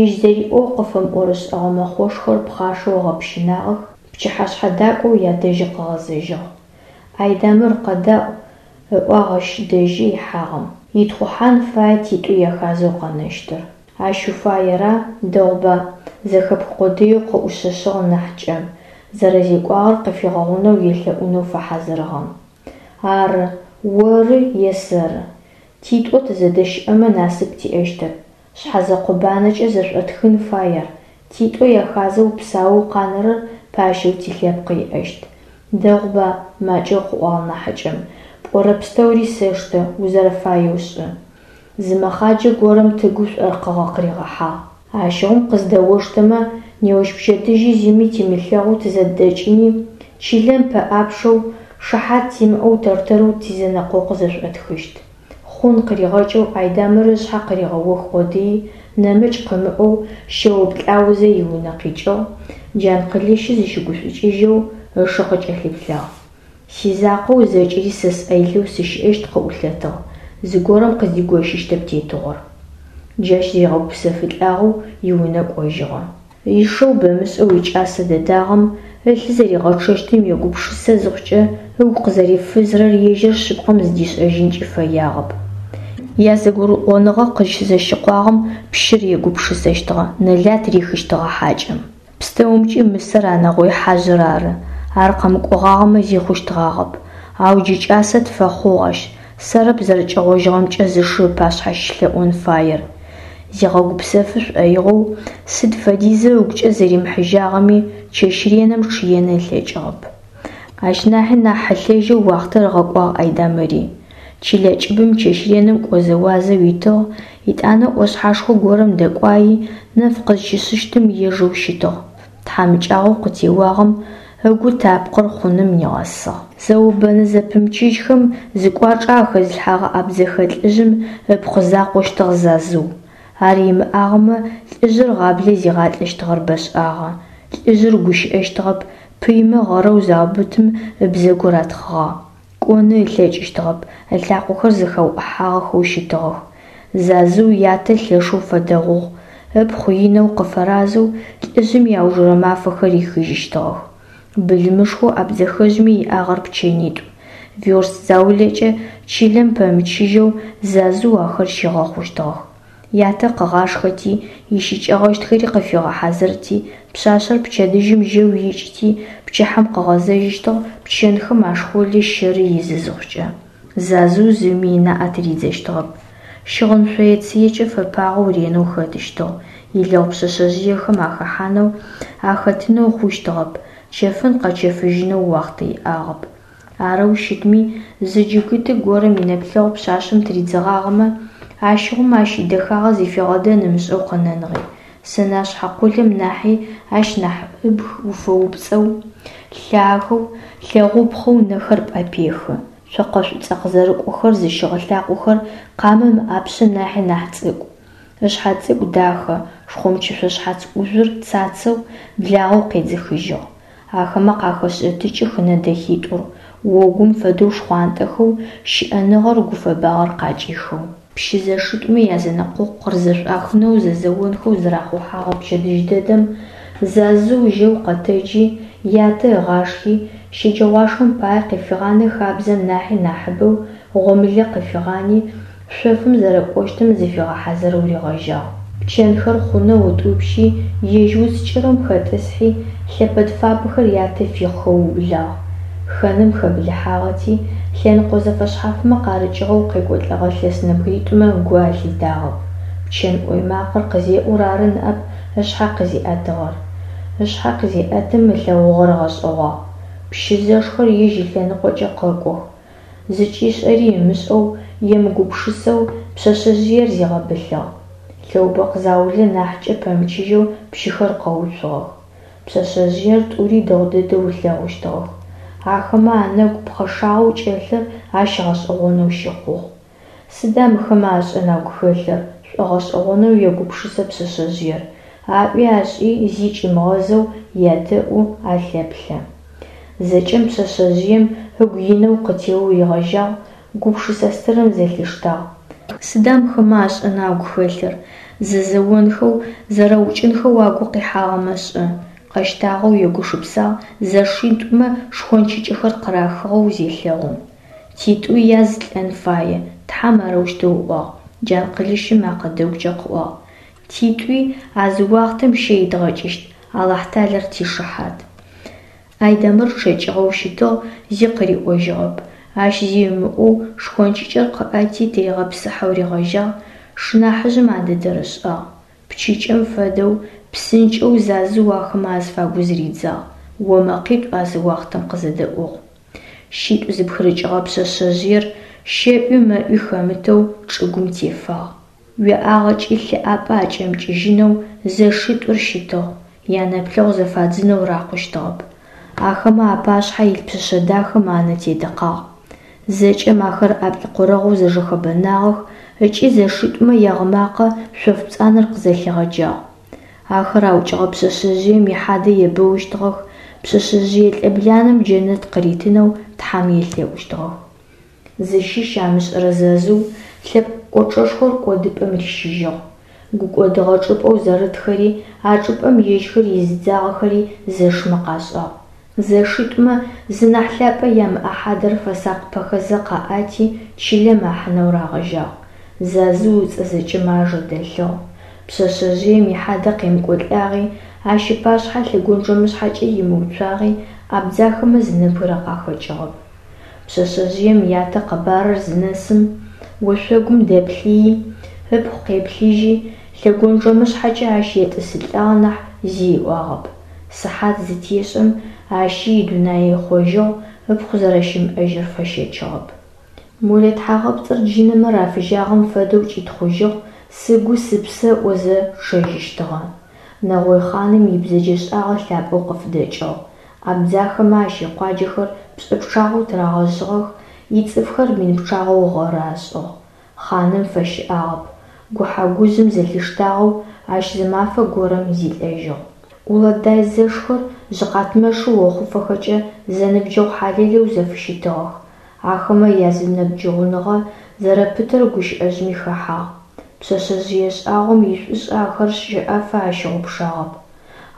[SPEAKER 1] ежь зэриӀоу къыфэмыӀорышӀэгъэ мэхъошхэр пхъашэу ыгъэпщынагъэх, пчыхьэшъхьэ дакӀоу ядэжьы къыгъэзэжьыгъ. Айдэмыр, къэдаӀу, ыӀуагъ ащ дэжьы ихьагъэм. Итхъухьан фае титӀу яхазэу къэнэщтыр. Ащ уфаера, дэгъуба, зэхэпх къодыеу къыӀушъэшъыгъ нахьыкӀэм, зэрэзекӀуагъэр къыфигъэгъунэу елъэӀунэу фэхьазырыгъэм. Ары, оры е сэры. ТитӀо тызэдэщыӀэмэ насып тиӀэщтэп. Шъхьэзэкъо банэкӀэ зэшӀотхын фай ар, титӀо яхазэу псаоу къанэрэр пащэу тилъэпкъ иӀэщт. Дэгъуба, макӀэу къыӀуагъ нахьыкӀэм, пӀорэ пстэури сэштэ, узэрэфаеу шӀы. Зы мэхъаджэ горэм тыгу шӀоркъыгъэ къыригъэхьагъ. Ащыгъум къыздэоштэмэ, неущпчэдыжьи зыми тимылъэгъоу тызэдэкӀыни, чылэм пэӀапчъэу, шыхьат тимыӀэу тэр-тэрэу тизэнэкъокъу зэшӀотхыщт. Хъун къыригъэкӀэу Айдэмыр ышъхьэ къыригъэох къодыий, нэмыкӀ къымыӀоу, щэуплӀаузэ иунэ къикӀыгъ, Джанкъылыщы зыщыгушӀукӀыжьэу ышы къыкӀэлъыплъагъ. Сизакъоу зэкӀэри сэ сӀэ илъэу сыщыӀэщт къыӀулъэтыгъ, зыгорэм къыздигощыщтэп тетыгъор. Джащ зыригъэгупсэфылӀагъэу иунэ кӀожьыгъэ. Ишэу бэмышӀэу икӀасэ дэдагъэм ылъы зэригъэчъэщтым егупшысэ зыхъукӀэ ыгу къызэрефызырэр ежьыр шъыпкъэм зыдишӀэжьынкӀи фэягъэп. ЯзэгурыӀоныгъэ къызщызэщыкъуагъэм пщыр егупшысэщтыгъэ, нэлат рихыщтыгъэ хьакӀэм. ПстэумкӀи мысэр а нэгъой хьажъыр ары. Ар къэмыкӀогъагъэмэ зи хъущтгъагъэп. Ау джы кӀасэ тфэхъугъ ащ, сэрэп зэрэкӀэгъожьыгъэмкӀэ зышы ыпашъхьэ щылъэӀон фаер. Зигъэгупсэфы шӏоигъоу сыд фэдизэу ыгукӏэ зэримыхьыжьагъэми, чэщ реным чъыен ылъэкӏыгъэп. Ащ нахьи нахь хьылъэжьэу уахътэр ыгъэкӏуагъ Айдамыри. Чылэ кӏыбым чэщ реным кӏозэуазэу итыгъ, етӏанэ ӏошъхьэшхо горэм дэкӏуайи, нэф къызщишъыщтым ежэу щытыгъ. Тхьамыкӏагъоу къытеуагъэм ыгу тапкъыр хъуным нигъэсыгъ. Зэо-бэнэ зэпымычыжьхэм зыкӏуачӏэ ахэзылъхьэгъэ абдзэхэ лӏыжъым ыпхъу закъощтыгъ Зазыу. Ар имыӏагъэмэ, лӏыжъыр гъаблэ зигъалӏэщтыгъэр бэшӏагъэ. Лӏыжъыр гущыӏэщтыгъэп, пыймэ гъэрэу заубытым ыбзэгу ратхъыгъагъ. Кӏоны ылъэкӏыщтыгъэп, ылъакъохэр зэхэуӏыхьагъэхэу щытыгъэх. Зазыу ятэ лъэшэу фэдэгъугъ, ыпхъу инэу къыфэразэу лӏыжъым иаужырэ мафэхэр рихыжьыщтыгъэх. Былымышхоу абдзэхэжъми иӏагъэр пчэнитӏу. Верст заулэкӏэ чылэм пэмычыжьэу Зазыу ахэр щигъэхъущтыгъэх. Ятэ къыгъашхэти, ищыкӏэгъэщтхэри къыфигъэхьазырти, пшъашъэр пчэдыжьым жьэу икӏыти, пчыхьэм къыгъэзэжьыщтыгъ пчэнхэм ашхъолы щэры изы зыхъукӏэ. Зазыу зыми ынаӏэ тыридзэщтыгъэп. Щыгъын шъое-цыекӏэ фэпагъэу ренэу хэтыщтыгъ, илэгъу пшъэшъэжъыехэм ахэхьанэу, ахэтынэу хъущтыгъэп, чэфын-къэчэфыжьынэу уахътэ иӏагъэп. Арэу щытми, зы джыгыты горэм инэплъэгъу пшъашъэм тыридзэгъагъэмэ, ащыгъум ащ идэхагъэ зыфигъэдэн ымышӏэу къэнэныгъи. Сэнашъхьэ къолэм нахьи ащ нахь ыбг уфэупцӏэу, лъагэу, лъэгъупхъэу нэхэр пӏэпехы. Цокъэ шӏуцӏэ къызэрыкӏохэр зыщыгъ лъакъохэр къамэм ыӏапшъэ нахьи нахь цӏыкӏу. Ышъхьэ цӏыкӏу дахэ, шхъомчышъо шъхьац ӏужъур цацэу, благъэу къедзыхыжьыгъ. Ахэмэ къахэшӏэтыкӏых ынэ дэхитӏур, огум фэдэу шхъуантӏэхэу, щыӏэныгъэр, гуфэбагъэр къакӏихэу. Пщы зэшитӏумэ язэнэкъокъу къырызэшӏуахынэу зэзэонхэу зырахъухьэгъэ пчэдыжь дэдэм Зазыу жьэу къэтэджи, ятэ ыгъашхи, щэджэгъуашхэм пае къыфигъанэ хабзэм нахьи нахьыбэу гъомылэ къыфигъани, шъофым зэрэкӏощтым зыфигъэхьазырэу ригъэжьагъ. Пчэнхэр хъунэу ытӏупщи, ежь уц кӏырым хэтӏысхьи, лъэпэд фабэхэр ятэ фихъхэу ыублагъ. Хэным хэблыхьагъэти, лъэныкъо зэфэшъхьафмэ къарыкӏыгъэу къекӏолӏэгъэ лъэс нэбгыритӏумэ гу алъитагъэп. Пчэн ӏой макъэр къызеӏур ары ныӏэп ышъхьэ къызиӏэтыгъэр. Ышъхьэ къызеӏэтым ылъэгъугъэр ыгъэшӏэгъуагъ. Пщы зэшхэр ежь ылъэныкъокӏэ къэкӏох. Зыкӏишӏэри ымышӏэу, емыгупшысэу пшъэшъэжъыер зигъэбылъыгъ. Лъэубэкъу заулэ нахькӏэ пэмычыжьэу пщыхэр къэуцугъэх. Пшъэшъэжъыер тӏури дэгъу дэдэу ылъэгъущтыгъэх. Ахэмэ анэгу пхъэшагъэу кӏэлъыр ащ гъэшӏэгъонэу щыхъугъ. Сыда мыхэмэ ашӏэн агу хэлъыр, шӏогъэшӏэгъонэу егупшысэ пшъэшъэжъыер. Аӏуи ашӏи зи кӏимыгъэзэу ядэӏу, алъэплъэ. Зэкӏэм пшъэшъэжъыем ыгу инэу къытеоу ригъэжьагъ, гупшысэ стырым зэлъиштагъ. Сыда мыхэмэ ашӏэн агу хэлъыр? Зэзэонхэу, зэрэукӏынхэу агу къихьагъэмэ шӏэ? Къэщтагъэу егушыпсагъ зэшитӏумэ шхончыкӏэхэр къырахыгъэу зелъэгъум. Титӏуи яз лӏэн фае, Тхьэм арэущтэу ыӏуагъ, Джанкъылыщым мэкъэ дэгукӏэ къыӏуагъ. Титӏуи а зы уахътэм щэ идгъэкӏыщт, Алахьталэр тишыхьат. Айдамыр чъэкӏыгъэу щытыгъ, зи къыриӏожьыгъэп. Ащ зи ымыӏоу шхончыкӏэр къыӏэти тыригъэпсыхьэу ригъэжьагъ, шынахьыжъым а дэдэр ышӏагъ. Пчыкӏэм фэдэу псынкӏэу Зазыу ахэмэ азыфагу зыридзагъ, омэкъитӏу а зы уахътэм къызэдэӏугъ. Щитӏу зыпхырыкӏыгъэ пшъэшъэжъыер щэӏуи-мэӏуи хэмытэу чӏыгум тефагъ. Уеӏагъэкӏи лъы ӏапӏэ акӏэмыкӏыжьынэу зэшитӏур щытыгъ, янэплъэгъу зэфадзынэу рахъущтыгъэп. Ахэмэ апашъхьэ илъ пшъэшъэ дахэм анэ тедыкъагъ. Зэкӏэм ахэр ӏаплӏкъорэгъоу зэжэхэбэнагъэх ыкӏи зэшитӏумэ ягъымакъэ шъоф пцӏанэр къызэлъигъэджагъ. Ахэр аукӏыгъэ пшъэшъэжъыем ихьадэ ебэущтыгъэх, пшъэшъэжъые лӏыбланэм джэнэт къыритынэу Тхьэм елъэӏущтыгъэх. Зыщыщ амышӏэрэ Зазыу лъэпкъ кӏочӏэшхор кӏодыпӏэм рищыжьыгъ. Гукӏодыгъэ чӏыпӏэу зэрытхэри, а чӏыпӏэм ежьхэр изыдзагъэхэри зэшмэ къашӏагъ. Зэшитӏумэ зы нахь лъапӏэ ямыӏэ хьадэр фэсакъыпэхэзэ къаӏати, чылэм ахьынэу рагъэжьагъ. Зазыу ыцӏэ зэкӏэмэ ажэ дэлъыгъ. Пшъэшъэжъыем ихьадэ къемыкӏолӏагъи, ащ ыпашъхьэ лъэгонджэмышъхьэкӏэ имыуцуагъи абдзахэмэ зы нэбгырэ къахэкӏыгъэп. Пшъэшъэжъыем ятэ къэбарыр зынэсым, ошъогум дэплъыйи, ыпхъу къеплъыжьи, Лъэгонджэмышъхьэкӏэ ащ етӏысылӏагъ нахь зи ыӏуагъэп. Сыхьат зытешӏэм ащи идунай ыхъожьыгъ, ыпхъу зэрэщымыӏэжьыр фэщэчыгъэп. Молэ тхьагъэпцӏыр джынэмэ рафыжьагъэм фэдэу кӏитхъужьыгъ, сыгу сыпсэ ыӏозэ чъэжьыщтыгъэ. Нэгъой хъаным ибзэджэшӏагъэ лъапӏэу къыфыдэкӏыгъ. Абдзахэмэ ащ икъуаджэхэр пшӏы пчъагъэу тырагъэжъыгъэх, ицӏыфхэр мин пчъагъэу гъэры ашӏыгъ. Хъаным фэщыӏагъэп. Гухьэ-гужъым зэлъиштагъэу ащ зы мафэ горэм зилӏэжьыгъ. Улэдай зэшхэр жъыкъатмэшы охъуфэхэкӏэ зэныбджэгъу хьалэлэу зэфыщытыгъэх. Ахэмэ язэныбджэгъуныгъэ зэрэпытэр гущыӏэжъми хэхьагъ. Пшъэшъэжъые шӏагъом ишӏушӏэ ахэр щэӏэфэ ащыгъупшагъэп.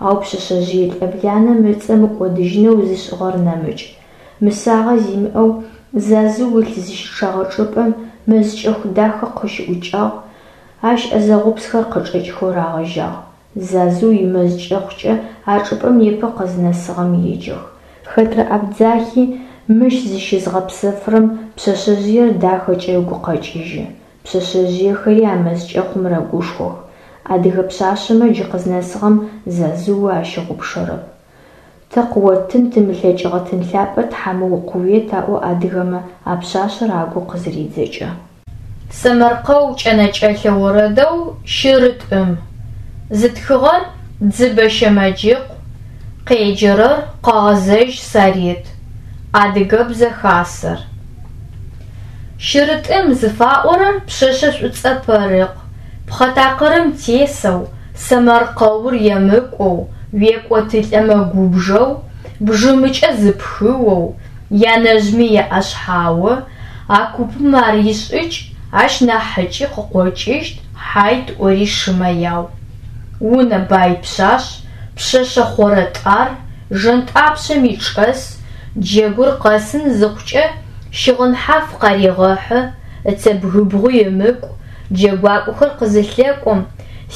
[SPEAKER 1] Ау пшъэшъэжъые лӏэбланэм ыцӏэ мыкӏодыжьынэу зышӏыгъэр нэмыкӏ. Мысагъэ зимыӏэу Зазыу ылъ зыщычъэгъэ чӏыпӏэм мэз кӏэху дахэ къыщыӏукӏагъ, ащ ӏэзэгъупсхэр къычӏэкӏхэу рагъэжьагъ. Зазыу имэз кӏэхъукӏэ а чӏыпӏэм непэ къызнэсыгъэм еджэх. Хэтрэ абдзахи мыщ зыщызгъэпсэфырэм пшъэшъэжъыер дахэкӏэ ыгу къэкӏыжьы. Пшъэшъэжъыехэри а мэз кӏэхъум рэгушхох. Адыгэ пшъашъэмэ джы къызнэсыгъэм Зазыу ащыгъупшэрэп. Тэ къыоттын тымылъэкӏыгъэ тын лъапӏэ тхьэмэ къыует аӏо адыгэмэ а пшъашъэр агу къызыридзэкӏэ.
[SPEAKER 2] Сэмэркъэу кӏэнэкӏэлъэ орэдэу «Щырытӏым». Зытхыгъэр Дзыбэ Щэмэджыкъу, къеджэрэр Къэгъэзэжь Сарет. Адыгэбзэ хасэр. Щырытӏым зыфаӏорэр пшъэшъэ шӏуцӏэ пэрыкъ, пхъэ такъырым тесэу, сэмэркъэур емыкӏоу, уекӏотылӏэмэ губжэу, бжьымыкӏэ зыпхыоу, янэжъми еӏэшъхьао, а купым ар ишӏыкӏ, ащ нахьыкӏи къыкъокӏыщт, хьайт ӏори шымэ яу. Унэ бай пшъашъ, пшъэшъэ хъорэтӏар, жэнтӏапшъэми чӏэс, джэгур къэсын зыхъукӏэ щыгъын хьаф къарегъэхьы, ыцэбгыбгъуи ымыкӏу, джэгуакӏохэр къызылъэкӏом,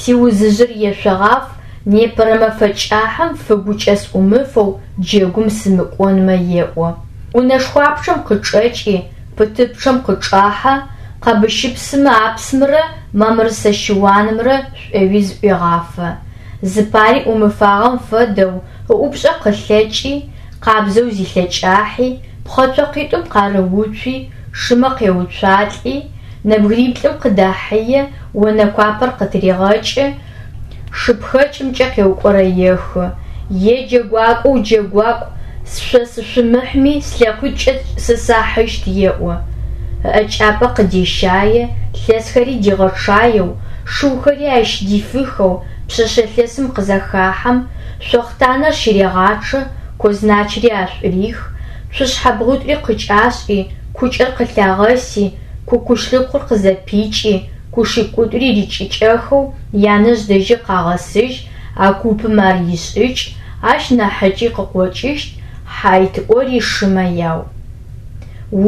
[SPEAKER 2] сиузыжъыр ешъогъаф, непэрэ мэфэ кӏахьым фыгукӏэ сӏумыфэу джэгум сымыкӏонмэ еӏо. Унэшхуапчъэм къычӏэкӏи, пытыпчъэм къычӏахьэ, къэбыщыпсымэ апсымрэ мамрысэ щыуанымрэ шӏоуи зыӏуегъафэ. Зыпари ӏумыфагъэм фэдэу ыӏупшӏэ къылъэкӏи, къабзэу зилъэкӏахьи, пхъэцокъитӏум къарыуцуи, шымэ къеуцуалӏи, нэбгыриплӏым къыдахьые, онэкуапэр къытырегъэкӏы, шыпхэкӏымкӏэ къеукӏорэехы. Е джэгуакӏоу джэгуакӏу, шъо сышъумыхьми слъэкъуитӏукӏэ сэ сахьыщт еӏо. Ыӏэкӏапӏэ къыдещае, лъэсхэри дигъэчъаеу, шыухэри ащ дифыхэу пшъэшъэ лъэсым къызэхахьэм, шъохътанэр щырегъачъэ, козначыри ашӏурих, цушъхьэбгъуитӏури къыкӏашӏи, кукӏэр къылъагъэси, кукушлыкъур къызэпикӏи, кушикӏутӏури рикӏыкӏэхэу янэжъ дэжьы къагъэсыжь, а купым ар ишӏыкӏ, ащ нахьыкӏи къыкъокӏыщт, хьайт ӏори шымэ яу.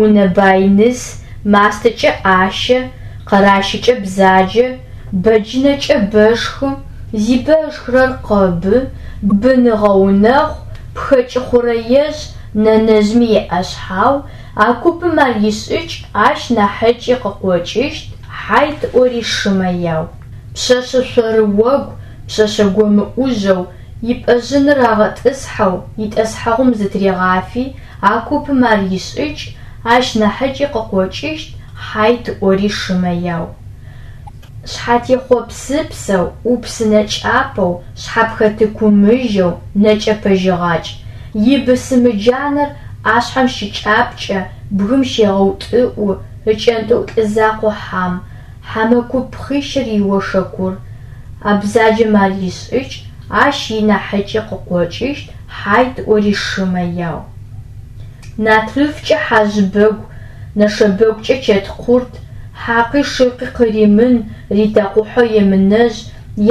[SPEAKER 2] Унэ бай ныс, мастэкӏэ ӏащэ, къэращыкӏэ бзаджэ, бэджынэкӏэ бэшхы, зибэ ышхырэр къэбы, бын ыгъэунэхъу, пхэкӏы хъурэежъ, нэнэжъми еӏэшъхьау, а купым ар ишӏыкӏ, ащ нахьыкӏи къыкъокӏыщт, хьайт ӏори шымэ яу. Пшъэшъэ шъорыогу, пшъэшъэ гомыӏужьэу, ипӏэжъыныр рагъэтӏысхьэу, итӏэсхьэгъум зытырегъафи, а купым ар ишӏыкӏ, ащ нахьыкӏи къыкъокӏыщт, хьайт ӏори шымэ яу. Шъхьатехъо псыпсэу, ӏупсынэ кӏапэу, шъхьапхэтыкумыжьэу, нэкӏэ пэжьыгъакӏ. Ибысымы джанэр ӏашъхьэм щыкӏапкӏэ, бгым щегъэутӏыӏу, ыкӏэнтӏыӏу лӏы закъо хьам, хьэмэ куп пхъищыр иошэкур. А бзаджэм ар ишӏыкӏ, ащ инахьыкӏи къыкъокӏыщт, хьайт ӏори шымэ яу. Натрыфкӏэ хьажъбэгу, нэшэбэгукӏэ чэткъурт, хьакъи шыкъи къыримын, ритэкъухьэу емынэжъ,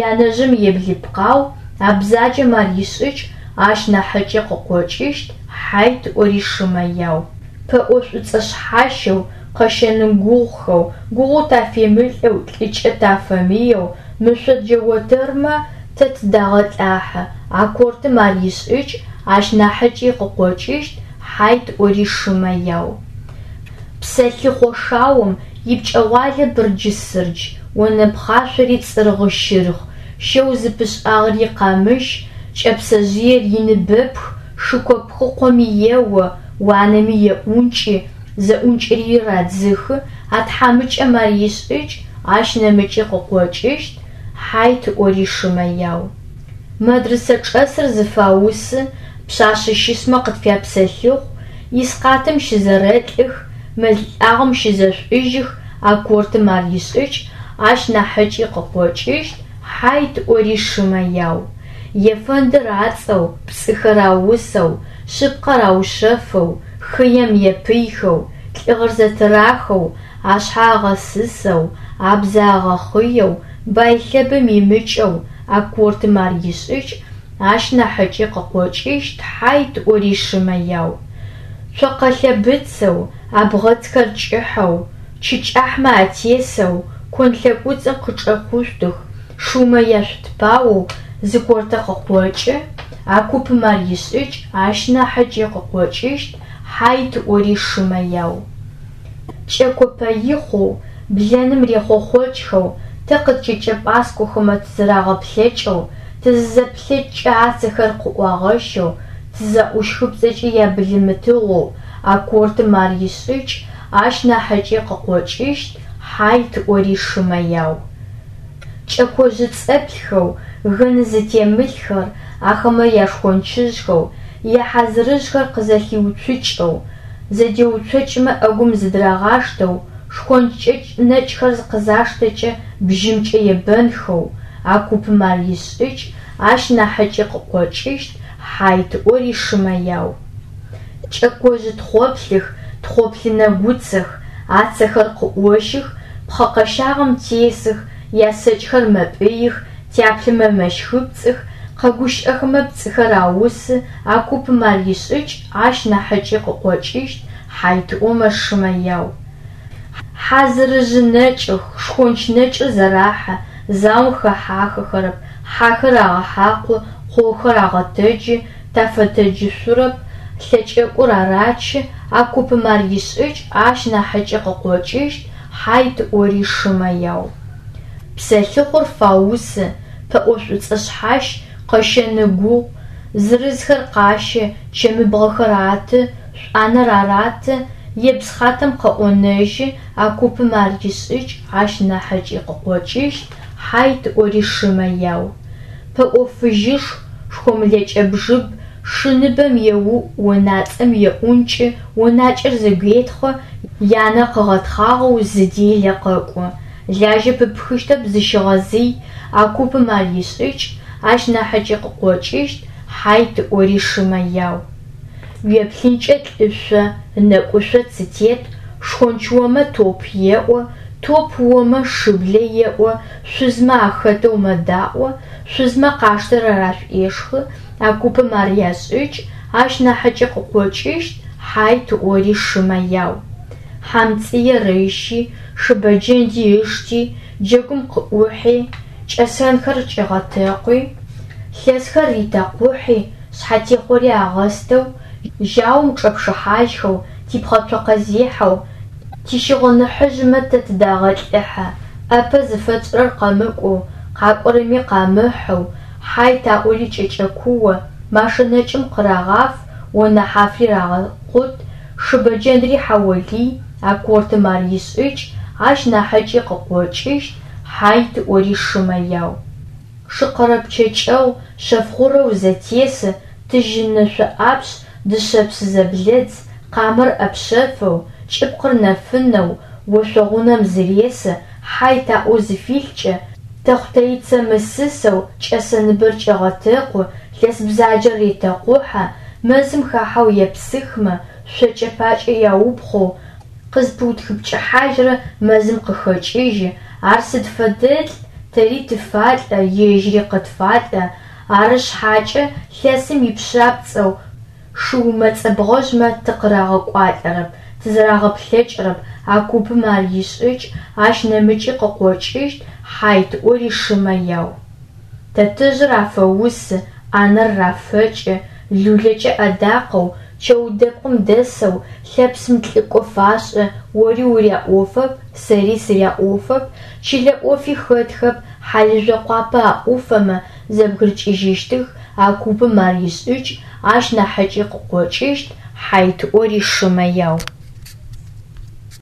[SPEAKER 2] янэжъым еблыпкъау, а бзаджэм ар ишӏыкӏ, ащ нахьыкӏи къыкъокӏыщт, хьайт ӏори шымэ яу. Пэӏо шӏуцӏэ шъхьащэу, къэщэны гугъухэу, гугъу тафемылӏэу, лӏыкӏэ тафэмыеу, мышъо джэотэрмэ тэ тыдагъэлӏахьы, а кортым ар ишӏыкӏ, ащ нахьыкӏи къыкъокӏыщт, хьайт ӏори шымэ яу. Псэлъыхъо шаом Ипкӏэгъуалэ бырджы-сырдж, онэ пхъашъори цӏыргъы-щыргъ, щэу зыпышӏагъэр икъамыщ, кӏэпсэжъыер иныбэпх, шыко пхъыкъоми ео, уанэми еӏункӏы, зэӏункӏыри радзыхы, а тхьамыкӏэм ар ишӏыкӏ, ащ нэмыкӏи къыкъокӏыщт, хьайт ыӏори шымэ яу. Мэдрысэ чӏэсыр зыфаусы, пшъашъэ щысмэ къытфяпсэлъыхъу, искъатым щызэрэлӏых, мэл лӏагъэм щызэшӏужьых, а кортым ар ишӏыкӏ, ащ нахьыкӏи къыкъокӏыщт, хьайт ыӏори шымэ яу. Ефэндыр ацӏэу, пцӏыхэр аусэу, шъыпкъэр аушъэфэу, хыем епыйхэу, лӏыгъэр зэтырахэу, ашъхьэ агъэсысэу, абзэ агъэхъыеу, бай лъэбым имыкӏэу, а кортым ар ишӏыкӏ, ащ нахьыкӏи къыкъокӏыщт, хьайт ыӏори шымэ яу. Цокъэ лъэбыцэу, абгъэцхэр кӏыхьэу, чы кӏахьмэ атесэу, кон лъэкӏуцӏым къычӏэхъушъутых, шыумэ яшъутпаоу зы кортэ къыкъокӏы, а купым ар ишӏыкӏ, ащ нахьыкӏи къыкъокӏыщт, хьайт ыӏори шымэ яу. Кӏэко пэихъоу, блэным рехъохъокӏхэу, тэ къыткӏэкӏэ пӏаскӏохэмэ тызэрагъэплъэкӏэу, тызызэплъэкӏкӏэ ацэхэр къыӏуагъэщэу, тызаӏущхыпцӏэкӏэ ябылымытыгъоу, а кортым ар ишӏыкӏ, ащ нахьыкӏи къыкъокӏыщт, хьайт ыӏори шымэ яу. Кӏэкожъы цӏэплъхэу, гын зытемылъхэр, ахэмэ яшхончыжъхэу, яхьазырыжъхэр къызэлъиуцукӏэу, зэдеуцокӏмэ ӏэгум зыдырагъаштэу, шхонч кӏэкӏ нэкӏхэр къызаштэкӏэ бжьымкӏэ ебэнхэу, а купым ар ишӏыкӏ, ащ нахьыкӏи къыкъокӏыщт, хьайт ыӏори шымэ яу. Кӏэкожъы тхъоплъых, тхъоплъы нэгуцэх, ацэхэр къыӏощых, пхъэ къэщагъэм тесых, ясэкӏхэр мэпӏыих, тяплъымэ мэщхыпцӏых, къэгущыӏэхэмэ пцӏыхэр аусы, а купым ар ишӏыкӏ, ащ нахьыкӏи къыкъокӏыщт, хьайт ыӏомэ шымэ яу. Хьазырыжъы нэкӏых, шхонч нэкӏыр зэрахьэ, заом хэхьахэрэп, хьахэр агъэхьакъу, къохэр агъэтэджы, тафэтэджышъурэп, лъэкӏэкӏур арачы, а купым ар ишӏыкӏ, ащ нахьыкӏи къыкъокӏыщт, хьайт ыӏори шымэ яу. Псэлъыхъур фаусы, пэӏо шӏуцӏэ шъхьащ, къэщэн ыгугъу, зырызхэр къащэ, чэмыбгъэхэр аты, шӏуанэр араты, ебз хатэм къыӏонэжьы, а купым ар ишӏыкӏ, ащ нахьыкӏи къыкъокӏыщт, хьайт ыӏори шымэ яу. Пэӏо фыжьышху, шхомлэкӏэ бжыб, шы ныбэм еуӏу, онацӏэм еӏункӏы, онакӏэр зэгуетхъы, янэ къыгъэтхъагъэу зы делэ къэкӏо. Лажьэ пыпхыщтэп зыщыгъэзый, а купым ар ишӏыкӏ, ащ нахьыкӏи къыкъокӏыщт, хьайт ыӏори шымэ яу. Уеплъынкӏэ лӏышъо, ынэкӏушъо цы тет, шхонч омэ топ еӏо, топ омэ шыблэ еӏо, шъузмэ ахэтэу мэдаӏо, шъузмэ къаштэрэр ашӏуешхы, а купым ар яшӏыкӏ, ащ нахьыкӏи къыкъокӏыщт, хьайт ыӏори шымэ яу. Хьамцӏыер ыщи, шыбэджэнди ышти, джэгум къыӏухьи, кӏэсэнхэр кӏигъэтэкъуи, лъэсхэр ритэкъухьи, шъхьэтехъори агъэстэу, жьаум чӏэпшыхьажьхэу, типхъэцокъэзехьэу, тищыгъыныхьыжъмэ тэ тыдагъэлӏыхьэ, ӏапэ зыфэтшӏырэр къэмыкӏоу, къакӏорэми къамыхьэу, хьайт аӏори кӏэкӏэкуо, машэ нэкӏым къырагъаф, онэ хьафри рагъэкъут, шыбэджэндри хьаолый, а кортым ар ишӏыкӏ, ащ нахьыкӏи къыкъокӏыщт, хьайт ыӏори шымэ яу. Шыкъэрэпчъэкӏэу, шъэфгъурэу зэтесы, тыжьынышъо ӏапшъ, дышъэпс зэблэдз, къамэр ӏэпшъэфэу, кӏыпкъыр нэфынэу, ошъогъунэм зыресы, хьайт аӏоу зыфилъкӏэ, тэхъутэицэ мысысэу, кӏэсэныбэр кӏегъэтэкъу, лъэс бзаджэр ретэкъухьэ, мэзым хахьэу епсыхмэ, шъокӏэ пакӏэ яупхъоу, къызпыутхыпкӏыхьажьрэ мэзым къыхэкӏыжьы, ар сыд фэдэлӏ, тэри тыфалӏэ, ежьыри къытфалӏэ, ары шъхьакӏэ лъэсым ипшъапцӏэу, шыумэ цӏэбгъэжъмэ тыкъырагъэкӏуалӏэрэп, тызэрагъэплъэкӏырэп, а купым ар ишӏыкӏ, ащ нэмыкӏи къыкъокӏыщт, хьайт ыӏори шымэ яу. Тэтэжъыр афэусы, ӏанэр рафэкӏы, лулэкӏэ ӏэдакъэу, Чэу дэпкъым дэсэу, лъэпсым лӀыкӀо фашӀы, ори уряӀофэп, сэри сыряӀофэп, чылэ Ӏофи хэтхэп, хьалыжъо къуапэ аӀуфэмэ, зэбгырыкӀыжьыщтых, а купым ар ишӀыкӀ, ащ нахьыкӀи къыкъокӀыщт, хьайт Ӏори шымэ яу.